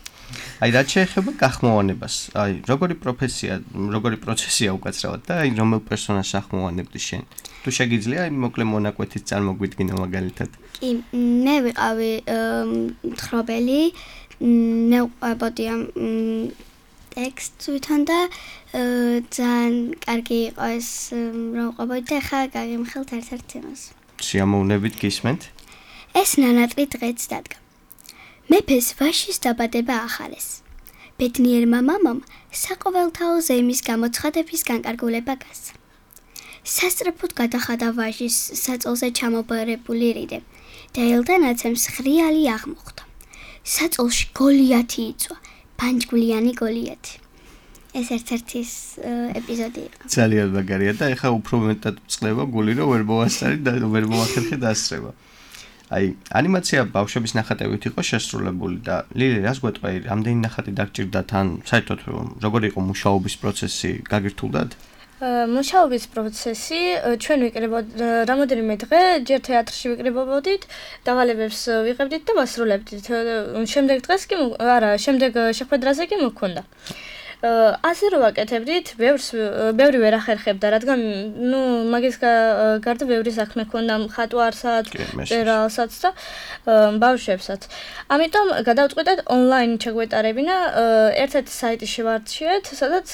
აი რაც შეეხება გახმოვანებას, აი როგორი პროფესია, როგორი პროცესია უკაცრავად და აი რომელ პერსონაჟს ახმოვანებდი შენ? თუ შეგიძლია აი მოკლე მონაკვეთით წარმოგვიდგინო მაგალითად. კი, მე ვიყავი მთხრობელი, მე ვყვებოდი ამ ტექსტს თვითონ და ძალიან კარგი იყო ეს რომ ყვებოდი და ხა გაგიმხელთ ერთ-ერთ თემას. შეამოვნებით გისმენთ? ეს ნანატრი დღეც დადგა. მეფეს ვაშის დაბადება ახარეს. ბედნიერმა მამამ საყოველთაო ზეიმის გამოცხადების განკარგულება გასცა. სასწრაფოდ გადახადა ვაჟის საწოლზე ჩამობარებული რიდე და ელდანაცემს ხრიალი აღმოხდა. საწოლში გოლიათი იწვა. პანჯგულიანი გოლიათი. ეს ერთ-ერთი ეპიზოდი იყო. ძალიან მაგარია და ეხა უფრო მეტად წყლება გული რომ ვერ მოასწარი და ვერ მოახერხე დასწრება. აი, ანიმაცია ბავშვების ნახატებით იყო შესრულებული და ლილი რას გვეტყვი, რამდენი ნახატი დაგჭირდათ ან საერთოდ როგორი იყო მუშაობის პროცესი, გაგირთულდათ? მუშაობის პროცესი ჩვენ ვიკრებოდ რამოდენიმე დღე ჯერ თეატრში ვიკრებობდით, დავალებებს ვიღებდით და ვასრულებდით. შემდეგ დღეს კი არა, შემდეგ შეხვედრაზე კი მოქონდა. ასე რომ ვაკეთებდით, ბევრს ბევრი ვერ ახერხებდა, რადგან ნუ მაგის გარდა ბევრი საქმე ქონდა მხატვარსაც, წერალსაც და ბავშვებსაც. ამიტომ გადავწყვიტეთ ონლაინ ჩაგვეტარებინა, ერთ-ერთი საიტი შევარჩიეთ, სადაც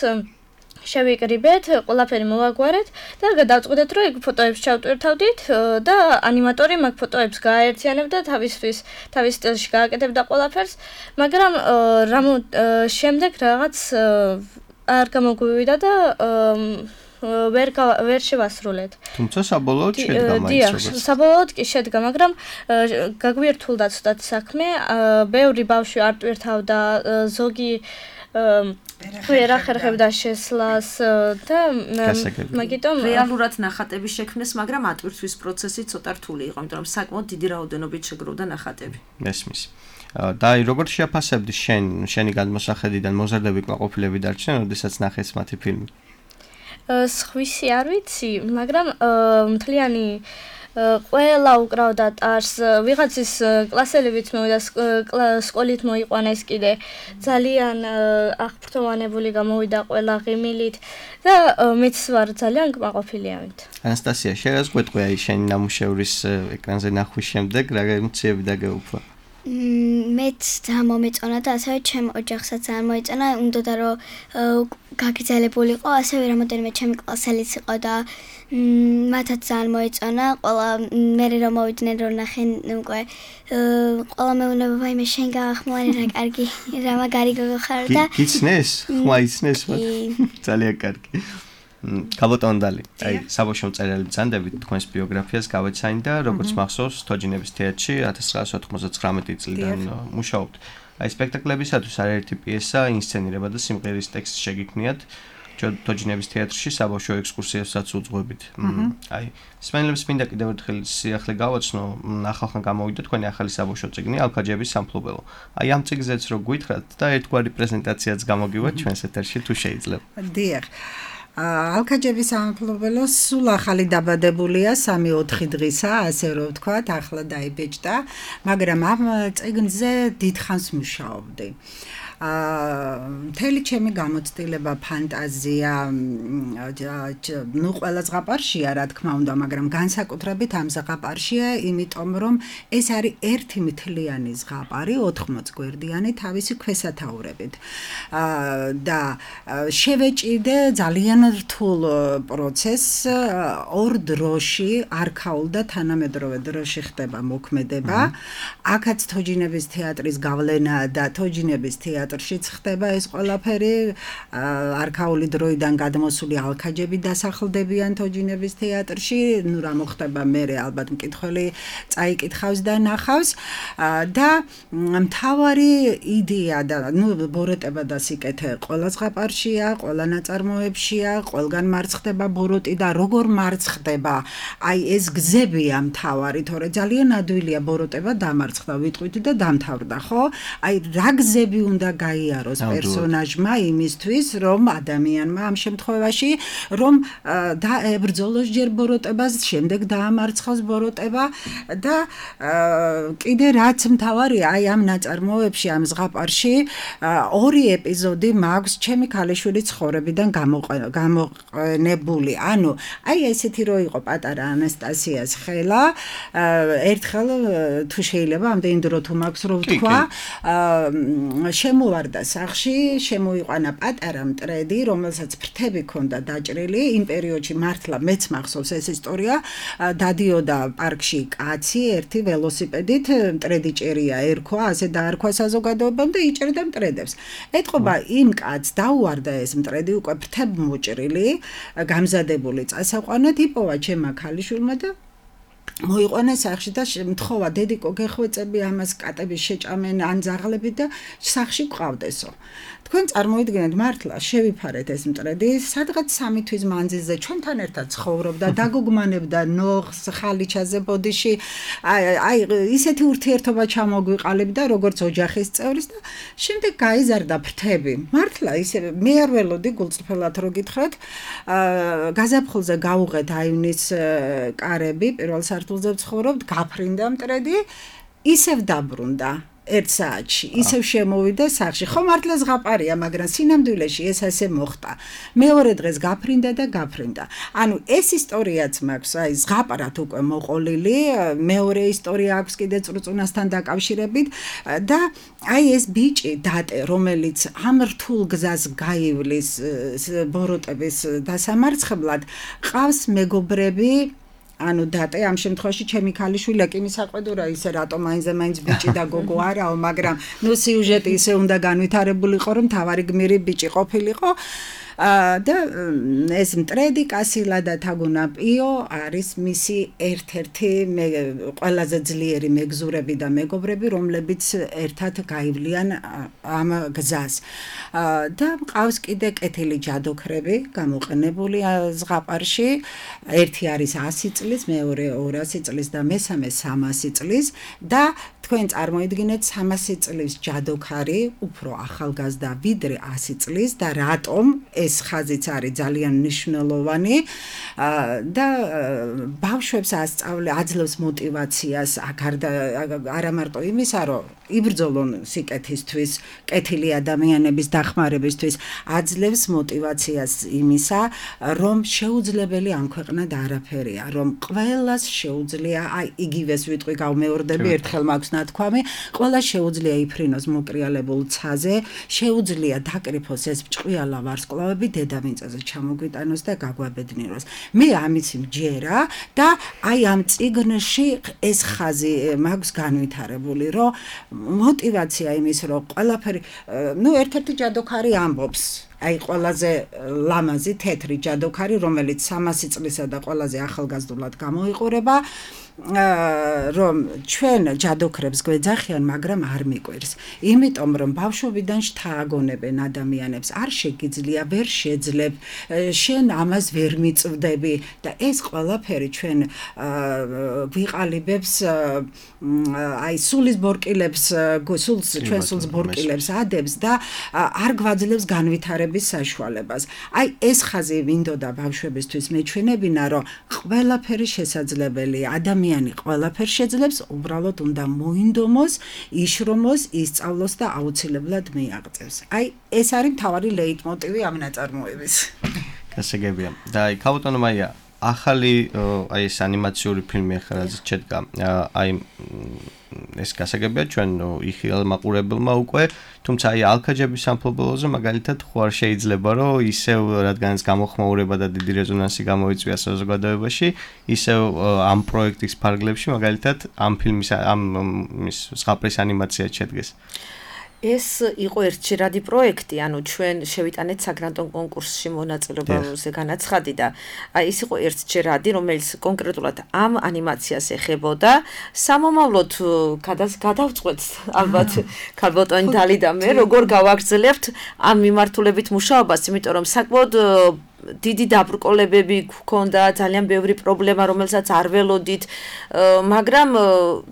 შევიკრიბეთ, ყველაფერი მოვაგვარეთ და გადავწყვიტეთ, რომ იქ ფოტოებს ჩავტვირთავდით და ანიმატორი მაგ ფოტოებს გააერთიანებდა თავისთვის, თავის სტილში გააკეთებდა ყველაფერს, მაგრამ რამ შემდეგ რაღაც არ გამოგვივიდა და ვერ ვერ შევასრულეთ. თუმცა საბოლოოდ შედგა მაინც. დიახ, საბოლოოდ კი შედგა, მაგრამ გაგვირთულდა ცუდად საქმე, ბევრი ბავშვი არ ტვირთავდა, ზოგი ვერ ახერხებდა შესლას და მაგიტომ რეალურად ნახატების შექმნეს, მაგრამ ატვირთვის პროცესი ცოტა რთული იყო, იმიტომ რომ საკმაოდ დიდი რაოდენობით შეგროვდა ნახატები. მესმის. და აი როგორ შეაფასებდი შენ შენი გადმოსახედიდან მოზარდები კმაყოფილები დარჩნენ, როდესაც ნახეს მათი ფილმი? სხვისი არ ვიცი, მაგრამ მთლიანი ყველა უკრავდა ტარს, ვიღაცის კლასელებიც მოვიდა, სკოლით მოიყვანეს კიდე, ძალიან აღფრთოვანებული გამოვიდა ყველა ღიმილით და მეც ვარ ძალიან კმაყოფილი ამით. ანასტასია, შენ რას გვეტყვი აი შენი ნამუშევრის ეკრანზე ნახვის შემდეგ, რა ემოციები დაგეუფლა? მეც ძალიან მომეწონა და ასევე ჩემ ოჯახსაც ძალიან მოეწონა, უნდოდა რომ გაგრძელებულიყო, ასევე რამოდენიმე ჩემი კლასელიც იყო და მათაც ძალიან მოეწონა, ყველა მე რომ მოვიდნენ რომ ნახენ უკვე ყველა მეუბნება ვაიმე შენ გაახმოვანი რა კარგი რა მაგარი გოგო ხარ და გიცნეს? ხმა იცნეს მათ? ძალიან კარგი. კაბოტონდალი, აი საბავშვო მწერალი ბრძანდებით თქვენს ბიოგრაფიას გავეცანი და როგორც მახსოვს, თოჯინების თეატრში ათას ცხრაასი ოთხმოცდათხრამეტი წლიდან მუშაობთ. აი სპექტაკლებისათვის არაერთი პიესა, ინსცენირება და სიმღერის ტექსტი შეგიქმნიათ. თოჯინების თეატრში საბავშვო ექსკურსიასაც უძღვებით. აი სპეციალებს მინდა კიდევ ერთხელ სიახლე გავაცნო, ახალხან გამოვიდა თქვენი ახალი საბავშვო წიგნი ალქაჯების სამფლობელო. აი ამ წიგნზეც რო გითხრათ და ერთგვარი პრეზენტაციაც გამოგივათ ჩვენს ეთერში თუ შეიძლება. დიახ. ალქაჯების სამფლობელო სულ ახალი დაბადებულია სამი ოთხი დღისა, ასე რომ ვთქვათ, ახლა დაიბეჭდა, მაგრამ ამ წიგნზე დიდხანს მუშაობდი. მთელი ჩემი გამოცდილება, ფანტაზია, ნუ ყველა ზღაპარშია, რა თქმა უნდა, მაგრამ განსაკუთრებით ამ ზღაპარშია, იმიტომ რომ ეს არის ერთი მთლიანი ზღაპარი, ოთხმოც გვერდიანი თავისი ქვესათაურებით. და შევეჭიდე ძალიან რთულ პროცესს, ორ დროში, არქაულ და თანამედროვე დროში ხდება მოქმედება. აქაც თოჯინების თეატრის გავლენა და თოჯინების თეატრი შიც ხდება ეს ყველაფერი, არქაული დროიდან გადმოსული ალქაჯები დასახლდებიან თოჯინების თეატრში, ნუ რა მოხდება მერე ალბათ მკითხველი წაიკითხავს და ნახავს და მთავარი იდეა და ნუ ბოროტება და სიკეთე ყველა ზღაპარშია, ყველა ნაწარმოებშია, ყველგან მარცხდება ბოროტი და როგორ მარცხდება, აი ეს გზებია მთავარი, თორე ძალიან ადვილია ბოროტება დამარცხდა, ვიტყვით და დამთავრდა, ხო? აი რა გზები უნდა გაიაროს პერსონაჟმა იმისთვის, რომ ადამიანმა ამ შემთხვევაში რომ დაებრძოლოს ჯერ ბოროტებას, შემდეგ დაამარცხოს ბოროტება და კიდე რაც მთავარია, აი ამ ნაწარმოებში, ამ ზღაპარში ორი ეპიზოდი მაქვს ჩემი ქალიშვილის ცხოვრებიდან გამოყენებული. ანუ აი ესეთი რო იყო პატარა ანასტასიას ხელა, ერთხელ თუ შეიძლება ამდენი დრო თუ მაქვს რო ვთქვა, შემოვარდა სახში, შემოიყვანა პატარა მტრედი, რომელსაც ფრთები ჰქონდა დაჭრილი, იმ პერიოდში მართლა მეც მახსოვს ეს ისტორია, დადიოდა პარკში კაცი ერთი ველოსიპედით, მტრედი ჭერია ერქვა, ასე დაარქვა საზოგადოებამ და იჭერდა მტრედებს. ეთყობა იმ კაცს დაუარდა ეს მტრედი უკვე ფრთები მოჭრილი, გამზადებული წასაყვანად, იპოვა ჩემმა ქალიშვილმა და მოიყვანა სახში და მთხოვა დედიკო გეხვეწები ამას კატების შეჭამენ ან ძაღლები და სახში ყავდესო. თქვენ წარმოიდგინეთ მართლა შევიფარეთ ეს მტრედი, სადღაც სამი თვის მანძილზე ჩვენთან ერთად ცხოვრობდა, დაგოგმანებდა ნოხს, ხალიჩაზე, ბოდიში, აი ისეთი ურთიერთობა ჩამოგვიყალიბდა როგორც ოჯახის წევრის და შემდეგ გაიზარდა ფრთები. მართლა ისე მე არ ველოდი გულწრფელად რო გითხრათ, გაზაფხულზე გაუღეთ აივნის კარები, პირველ სართულზე ვცხოვრობთ, გაფრინდა მტრედი, ისევ დაბრუნდა. ერთ საათში ისევ შემოვიდა სახში. ხო მართლა ზღაპარია, მაგრამ სინამდვილეში ეს ასე მოხდა. მეორე დღეს გაფრინდა და გაფრინდა. ანუ ეს ისტორიაც მაქვს, აი ზღაპარად უკვე მოყოლილი, მეორე ისტორია აქვს კიდე წრუწუნასთან დაკავშირებით და აი ეს ბიჭი დატე, რომელიც ამ რთულ გზას გაივლის ბოროტების დასამარცხებლად, ყავს მეგობრები ანუ დატე ამ შემთხვევაში ჩემი ქალიშვილი აკიმი საყვედურა ისე რატომ აინზე მაინც ბიჭი და გოგო არაო, მაგრამ ნუ სიუჟეტი ისე უნდა განვითარებულიყო, რომ თავარი გმირი ბიჭი ყოფილიყო. და ეს მტრედი კასილა და თაგუნა პიო არის მისი ერთ-ერთი ყველაზე ძლიერი მეგზურები და მეგობრები, რომლებიც ერთად გაივლიან ამ გზას. და მყავს კიდე კეთილი ჯადოქრები გამოყენებული ზღაპარში. ერთი არის ასი წლის, მეორე ორასი წლის და მესამე სამასი წლის და თქვენ წარმოიდგინეთ სამასი წლის ჯადოქარი უფრო ახალგაზრდა ვიდრე ასი წლის და რატომ ეს ხაზიც არის ძალიან მნიშვნელოვანი და ბავშვებს ასწავლე აძლევს мотиваციას გარდა არა მარტო იმისა რომ იბრძოლონ სიკეთისთვის კეთილი ადამიანების დახმარებისთვის აძლევს мотиваციას იმისა რომ შეუძლებელი ამ ქვეყნად არაფერია რომ ყველას შეუძლია აი იგივეს ვიტყვი გავმეორდები ერთხელ მაქვს ნათქვამი ყველა შეუძლია იფრინოს მოკრიალებულ ცაზე შეუძლია დაკრიფოს ეს ჭყვიალა ვარსკვლავები დედამიწაზე ჩამოგვიტანოს და გაგვაბედნიეროს მე ამის მჯერა და აი ამ წიგნში ეს ხაზი მაქვს განვითარებული რომ мотиваცია იმის რომ ყველაფერი ნუ ერთ-ერთი ჯადოქარი ამბობს აი ყველაზე ლამაზი თეთრი ჯადოქარი რომელიც სამასი წლისა და ყველაზე ახალგაზრდულად გამოიყურება რომ ჩვენ ჯადოქრებს გვეძახიან მაგრამ არ მიყვირს იმიტომ რომ ბავშვობიდან შთააგონებენ ადამიანებს არ შეგიძლია ვერ შეძლებ შენ ამას ვერ მიწვდები და ეს ყველაფერი ჩვენ გვიყალიბებს აი სულის ბორკილებს სულს ჩვენ სულს ბორკილებს ადებს და არ გვაძლევს განვითარების საშუალებას აი ეს ხაზი მინდოდა ბავშვებისთვის მეჩვენებინა რომ ყველაფერი შესაძლებელია ადამიანი ყველაფერს შეძლებს უბრალოდ უნდა მოინდომოს იშრომოს ისწავლოს და აუცილებლად მიაღწევს აი ეს არის მთავარი ლეიტმოტივი ამ ნაწარმოების გასაგებია და აი ქალბატონო მაია ახალი აი ეს ანიმაციური ფილმი ახლა რაც შედგა აი ეს გასაგებია ჩვენ იხილ მაყურებელმა უკვე თუმცა აი ალქაჯების სამფლობელოზე მაგალითად ხო არ შეიძლება რომ ისევ რადგანაც გამოხმაურება და დიდი რეზონანსი გამოიწვია საზოგადოებაში ისევ ამ პროექტის ფარგლებში მაგალითად ამ ფილმის ამ ის ზღაპრის ანიმაცია შედგეს ეს იყო ერთჯერადი პროექტი, ანუ ჩვენ შევიტანეთ საგრანტო კონკურსში მონაწილეობაზე განაცხადი და აი ეს იყო ერთჯერადი, რომელიც კონკრეტულად ამ ანიმაციას ეხებოდა. სამომავლოდ გადავწყვეტ ალბათ ქალბატონი დალი და მე როგორ გავაგრძელებთ ამ მიმართულებით მუშაობას, იმიტომ რომ საკმაოდ დიდი დაბრკოლებები გქონდა, ძალიან ბევრი პრობლემა, რომელსაც არ ველოდით, მაგრამ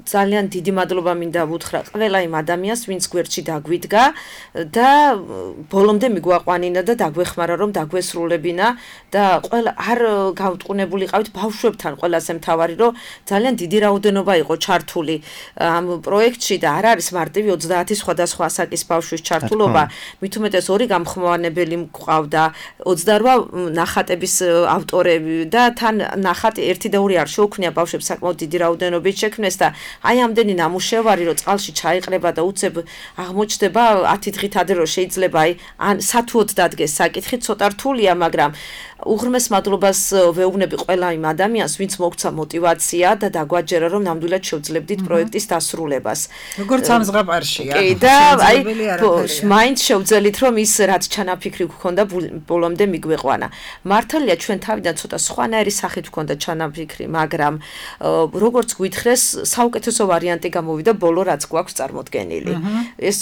ძალიან დიდი მადლობა მინდა ვუთხრა ყველა იმ ადამიანს, ვინც გვერდში დაგვიდგა და ბოლომდე მიგვაყვანინა და დაგვეხმარა, რომ დაგვესრულებინა და ყველა არ გავტყუნებულიყავით ბავშვებთან, ყველაზე მთავარი, რომ ძალიან დიდი რაოდენობა იყო ჩართული ამ პროექტში და არ არის მარტივი ოცდაათი სხვადასხვა ასაკის ბავშვის ჩართულობა, მით უმეტეს ორი გამხმოვანებელი მყავდა, ოცდარვა ნახატების ავტორები და თან ნახატი ერთი და ორი არ შეუქმნია ბავშვებს საკმაოდ დიდი რაოდენობით შექმნეს და აი ამდენი ნამუშევარი რომ წყალში ჩაიყრება და უცებ აღმოჩნდება ათი დღით ადრე რომ შეიძლება აი ან სათუოდ დადგეს საკითხი ცოტა რთულია მაგრამ უღრმეს მადლობას ვეუბნები ყველა იმ ადამიანს ვინც მოგცა мотиваცია და დაგვაჯერა რომ ნამდვილად შევძლებდით პროექტის დასრულებას როგორც ამ ზღაპარშია კი და აი მაინც შევძელით რომ ის რაც ჩანაფიქრი გქონდა ბოლომდე მიგვეყვანა მართალია ჩვენ თავიდან ცოტა სხვანაირი სახით გქონდა ჩანაფიქრი მაგრამ როგორც გვითხრეს საუკეთესო ვარიანტი გამოვიდა ბოლო რაც გვაქვს წარმოდგენილი ეს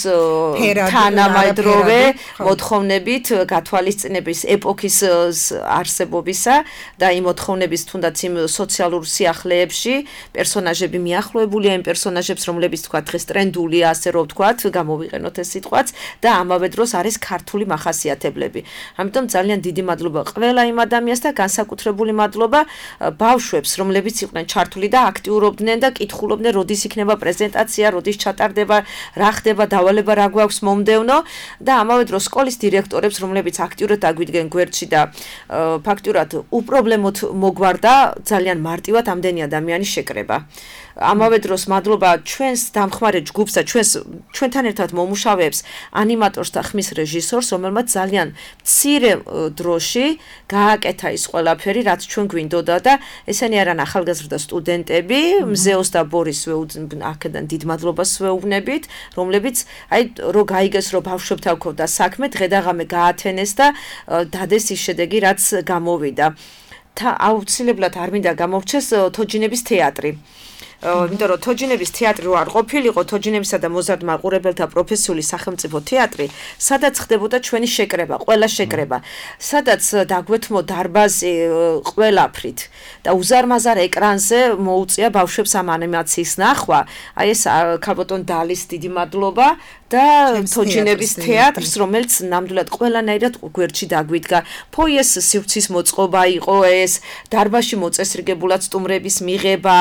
თანამედროვე მოთხოვნებით გათვალისწინების ეპოქის არსებობისა და იმ მოთხოვნების თუნდაც იმ სოციალურ სიახლეებში პერსონაჟები მიახლოებულია იმ პერსონაჟებს რომლებიც თქვა დღეს ტრენდულია ასე რომ ვთქვათ გამოვიყენოთ ეს სიტყვაც და ამავე დროს არის ქართული მახასიათებლები ამიტომ ძალიან დიდი მადლობა ყველა იმ ადამიანს და განსაკუთრებული მადლობა ბავშვებს რომლებიც იყვნენ ჩართული და აქტიურობდნენ და კითხულობდნენ როდის იქნება პრეზენტაცია როდის ჩატარდება რა ხდება დავალება რა გვაქვს მომდევნო და ამავე დროს სკოლის დირექტორებს რომლებიც აქტიურად აგვიდგენ გვერდში და ფაქტურად უპრობლემოდ მოგვარდა ძალიან მარტივად ამდენი ადამიანის შეკრება. ამავე დროს მადლობა ჩვენს დამხმარე ჯგუფს და ჩვენს ჩვენთან ერთად მომუშავეებს ანიმატორს და ხმის რეჟისორს, რომელმაც ძალიან მცირე დროში გააკეთა ის ყველაფერი, რაც ჩვენ გვინდოდა და ესენი არიან ახალგაზრდა სტუდენტები, მზეოს და ბორის აქედან დიდ მადლობას ვეუბნებით, რომლებიც აი რო გაიგეს რო ბავშვებთან გვქონდა საქმე, დღე და ღამე გაათენეს და დადეს ის შედეგი, რაც გამოვიდა. და აუცილებლად არ მინდა გამოვჩეს თოჯინების თეატრი. იმიტომ რომ თოჯინების თეატრი რო არ ყოფილიყო, თოჯინებისა და მოზარდ მაყურებელთა პროფესიული სახელმწიფო თეატრი, სადაც ხდებოდა ჩვენი შეკრება, ყველა შეკრება, სადაც დაგვეთმო დარბაზი ყველაფრით და უზარმაზარ ეკრანზე მოუწია ბავშვებს ამ ანიმაციის ნახვა. აი ეს ქალბატონ დალის დიდი მადლობა და თოჯინების თეატრს, რომელიც ნამდვილად ყველანაირად გვერდში დაგვიდგა. ფოიეს სივრცის მოწყობა იყო ეს, დარბაზში მოწესრიგებულად სტუმრების მიღება,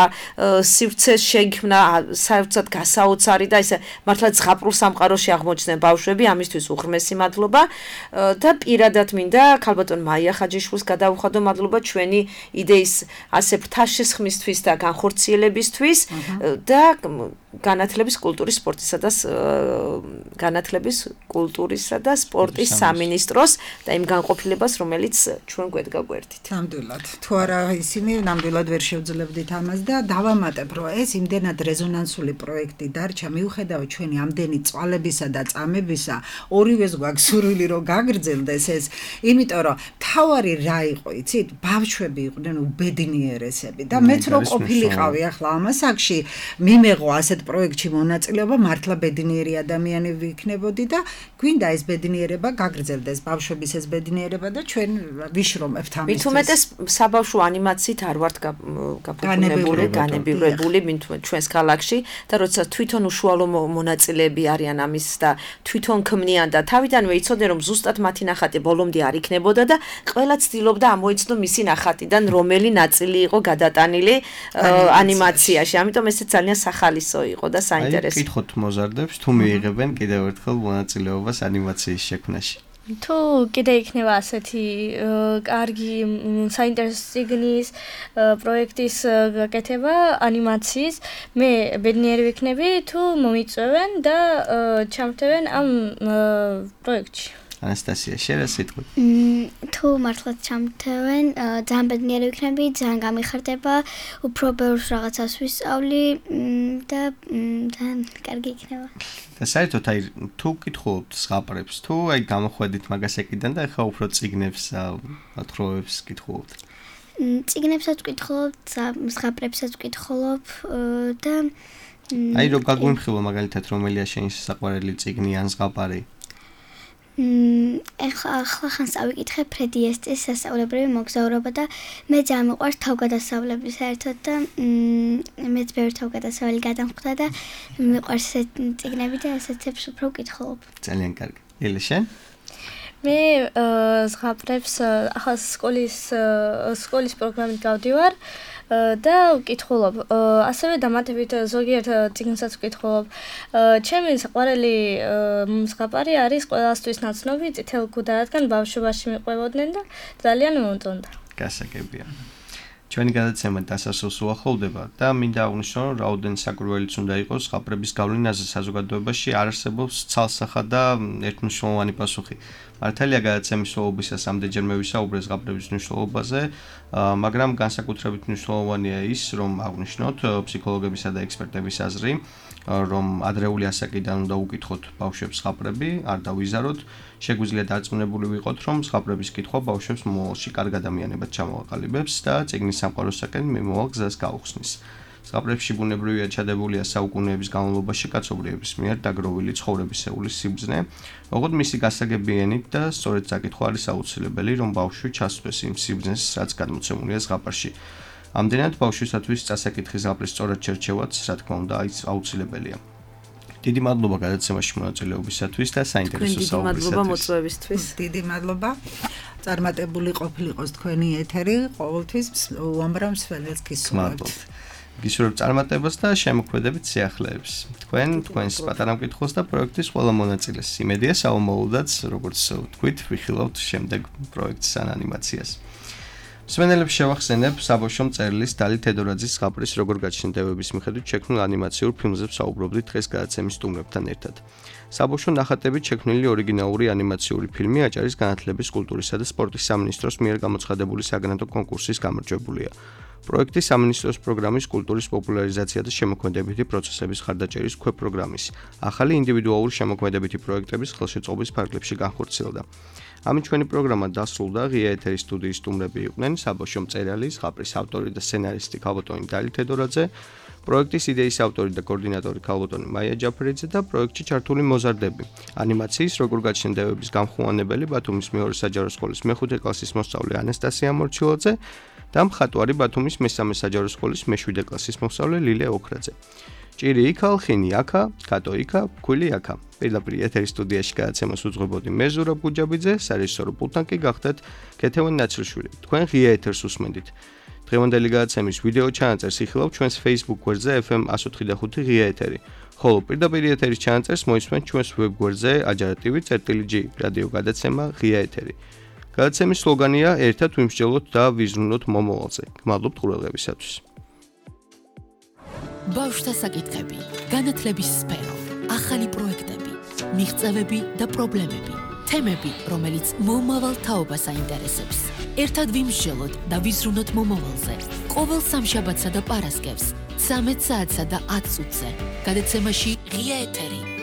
სივრცეს შეიქმნა საერთოდ გასაოცარი და ესე მართლა ზღაპრულ სამყაროში აღმოჩნდნენ ბავშვები, ამისთვის უღრმესი მადლობა და პირადად მინდა ქალბატონ მაია ხაჯიშვილს გადავუხადო მადლობა ჩვენი იდეის ასე ფრთაშესხმისთვის და განხორციელებისთვის და განათლების კულტურის სპორტისა და განათლების კულტურისა და სპორტის სამინისტროს და იმ განყოფილებას, რომელიც ჩვენ გვედგა გვერდით. ნამდვილად. თუ არა ისინი ნამდვილად ვერ შევძლებდით ამას და დავამატებ, რომ ეს იმდენად რეზონანსული პროექტი დარჩა, მიუხედავად ჩვენი ამდენი წვალებისა და წამებისა, ორივეს გვაქვს სურვილი რომ გაგრძელდეს ეს, იმიტომ რომ თავარი რა იყო, იცით? ბავშვები იყვნენ უბედნიერესები და მეც რო ყოფილიყავი ახლა ამ ასაკში, მიმეღო ასეთ პროექტში მონაწილეობა, მართლა ბედნიერი ადამიანი ვიქნებოდი და გვინდა ეს ბედნიერება გაგრძელდეს, ბავშვების ეს ბედნიერება და ჩვენ ვიშრომებთ ამისთვის. მით უმეტეს საბავშვო ანიმაციით არ ვართ გაფუძნებული, განებივრებული ჩვენს ქალაქში და როცა თვითონ უშუალო მონაწილეები არიან ამის და თვითონ ქმნიან და თავიდანვე იცოდნენ რომ ზუსტად მათი ნახატი ბოლომდე არ იქნებოდა და ყველა ცდილობდა ამოიცნო მისი ნახატიდან რომელი ნაწილი იყო გადატანილი ანიმაციაში. ამიტომ ესეც ძალიან სახალისო იყო და საინტერესო. აი, კითხოთ მოზარდებს, თუ მიიღებენ კიდევ ერთხელ მონაწილეობას ანიმაციის შექმნაში. თუ კიდე იქნება ასეთი კარგი საინტერესო ციგნის პროექტის გაკეთება ანიმაციის, მე ბედნიერი ვიქნები თუ მომიწვევენ და ჩამრთევენ ამ პროექტში. ანასტასია, შენ რა სიტყვი? თუ მართლაც ჩამრთევენ, ძალიან ბედნიერი ვიქნები, ძალიან გამიხარდება, უფრო ბევრს რაღაცას ვისწავლი და ძალიან კარგი იქნება. და საერთოდ აი თუ კითხულობთ ზღაპრებს, თუ აი გამოხვედით მაგას ეკიდან და ახლა უფრო ციგნებს, მოთხრობებს კითხულობთ. ციგნებსაც ვკითხულობ, ზღაპრებსაც ვკითხულობ და აი რო გაგვიმხილო მაგალითად რომელია შენი საყვარელი ციგნი ან ზღაპარი? ეხლა ახლა ხან წავიკითხე ფრედი ესტის სასწავლებრივი მოგზაურობა და მე ძალიან მიყვარს თავგადასავლები საერთოდ და მეც ბევრი თავგადასავალი გადამხვდა და მიყვარს ესეთ წიგნები და ესეთებს უფრო ვკითხულობ. ძალიან კარგი. ელე შენ? მე ზღაპრებს ახლა სკოლის სკოლის პროგრამით გავდივარ და ვკითხულობ. ასევე დამატებით ზოგიერთ წიგნსაც ვკითხულობ. ჩემი საყვარელი ზღაპარი არის ყველასთვის ნაცნობი წითელ ქუდა, რადგან ბავშვობაში მიყვებოდნენ და ძალიან მომწონდა. გასაგებია. ჩვენი გადაცემა დასასრულს უახლოვდება და მინდა აღვნიშნო, რომ რაოდენ საკურველიც უნდა იყოს ზღაპრების გავლენაზე საზოგადოებაში არ არსებობს ცალსახად და ერთმნიშვნელოვანი პასუხი. მართალია გადაცემის მსვლელობისას ამდენჯერ მე ვისაუბრე ზღაპრების მნიშვნელობაზე, მაგრამ განსაკუთრებით მნიშვნელოვანია ის, რომ აღვნიშნოთ ფსიქოლოგებისა და ექსპერტების აზრი, რომ ადრეული ასაკიდან უნდა უკითხოთ ბავშვებს ზღაპრები, არ დავიზაროთ, შეგვიძლია დარწმუნებული ვიყოთ, რომ ზღაპრების კითხვა ბავშვებს მომავალში კარგ ადამიანებად ჩამოაყალიბებს და წიგნის სამყაროსაკენ მიმავალ გზას გაუხსნის. ზღაპრებში ბუნებრივია ჩადებულია საუკუნეების განმავლობაში კაცობრიობის მიერ დაგროვილი ცხოვრებისეული სიბრძნე, ოღონდ მისი გასაგებიანით და სწორედ საკითხვა არის აუცილებელი, რომ ბავშვი ჩასვეს იმ სიბრძნეს, რაც გადმოცემულია ზღაპარში. ამდენად ბავშვისათვის წასაკითხის ზღაპრის სწორად შერჩევაც, რა თქმა უნდა, აუცილებელია. დიდი მადლობა გადაცემაში მონაწილეობისათვის და საინტერესო საუბრისათვის. დიდი მადლობა მოწვევისთვის. დიდი მადლობა. წარმატებული ყოფილიყოს თქვენი ეთერი, ყოველთვის უამრავ მსმენელს გისურვებთ. გისურვებ წარმატებას და შემოქმედებით სიახლეებს. თქვენ, თქვენს პატარა მკითხველს და პროექტის ყველა მონაწილეს. იმედია საომოლოდაც, როგორც თქვით, ვიხილავთ შემდეგ პროექტს ან ანიმაციას. მსმენელებს შევახსენებ საბავშვო მწერლის დალი თედორაძის ზღაპრის როგორ გაჩნდებების მიხედვით შექმნილ ანიმაციურ ფილმზე საუბრობდით დღეს გადაცემის სტუმრებთან ერთად. საბავშვო ნახატებით შექმნილი ორიგინალური ანიმაციური ფილმი აჭარის განათლების, კულტურისა და სპორტის სამინისტროს მიერ გამოცხადებული საგრანტო კონკურსის გამარჯვებულია. პროექტი სამინისტროს პროგრამის კულტურის პოპულარიზაცია და შემოქმედებითი პროცესების ხარდაჭერის ქვეპროგრამის ახალი ინდივიდუალური შემოქმედებითი პროექტების ხელშეწყობის ფარგლებში განხორციელდა. ამით ჩვენი პროგრამა დასრულდა. ღია ეთერის სტუდიის სტუმრები იყვნენ საბავშვო მწერალი, ზღაპრის ავტორი და სცენარისტი ქალბატონი დალი თედორაძე, პროექტის იდეის ავტორი და კოორდინატორი ქალბატონი მაია ჯაფერიძე და პროექტში ჩართული მოზარდები. ანიმაციის როგორ გაჩნდებების გამხუანებელი ბათუმის მეორე საჯარო სკოლის მეხუთე კლასის მოსწავლე ანასტასია მორჩილაძე და მხატვარი ბათუმის მესამე საჯარო სკოლის მეშვიდე კლასის მოსწავლე ლილე ოქრაძე. ჭირი იქა, ხინი აქა, კატო იქა, ქვილი აქა. პირდაპირ ეთერის სტუდიაში გადაცემას უძღვებოდი მე ზურაბ გუჯაბიძე, სარეჟისორო პულტთან კი გახდათ კეთევან ნაცრიშვილი. თქვენ ღია ეთერს უსმენდით. დღევანდელი გადაცემის ვიდეო ჩანაწერს იხილავთ ჩვენს Facebook გვერდზე ეფ ემ one oh five point five ღია ეთერი. ხოლო პირდაპირ ეთერის ჩანაწერს მოისმენთ ჩვენს ვებ გვერდზე ajarativi.gi რადიო გადაცემა ღია ეთერი. გადაცემის სლოგანია ერთად ვიმსჯელოთ და ვიზრუნოთ მომავალზე. გმადლობთ ყურადღებისათვის. ბავშვთა საკითხები, განათლების სფერო, ახალი პროექტები, მიღწევები და პრობლემები, თემები, რომელიც მომავალ თაობას აინტერესებს. ერთად ვიმსჯელოთ და ვიზრუნოთ მომავალზე. ყოველ სამშაბათსა და პარასკევს, ცამეტ საათსა და ათ წუთზე. გადაცემაში ღია ეთერი.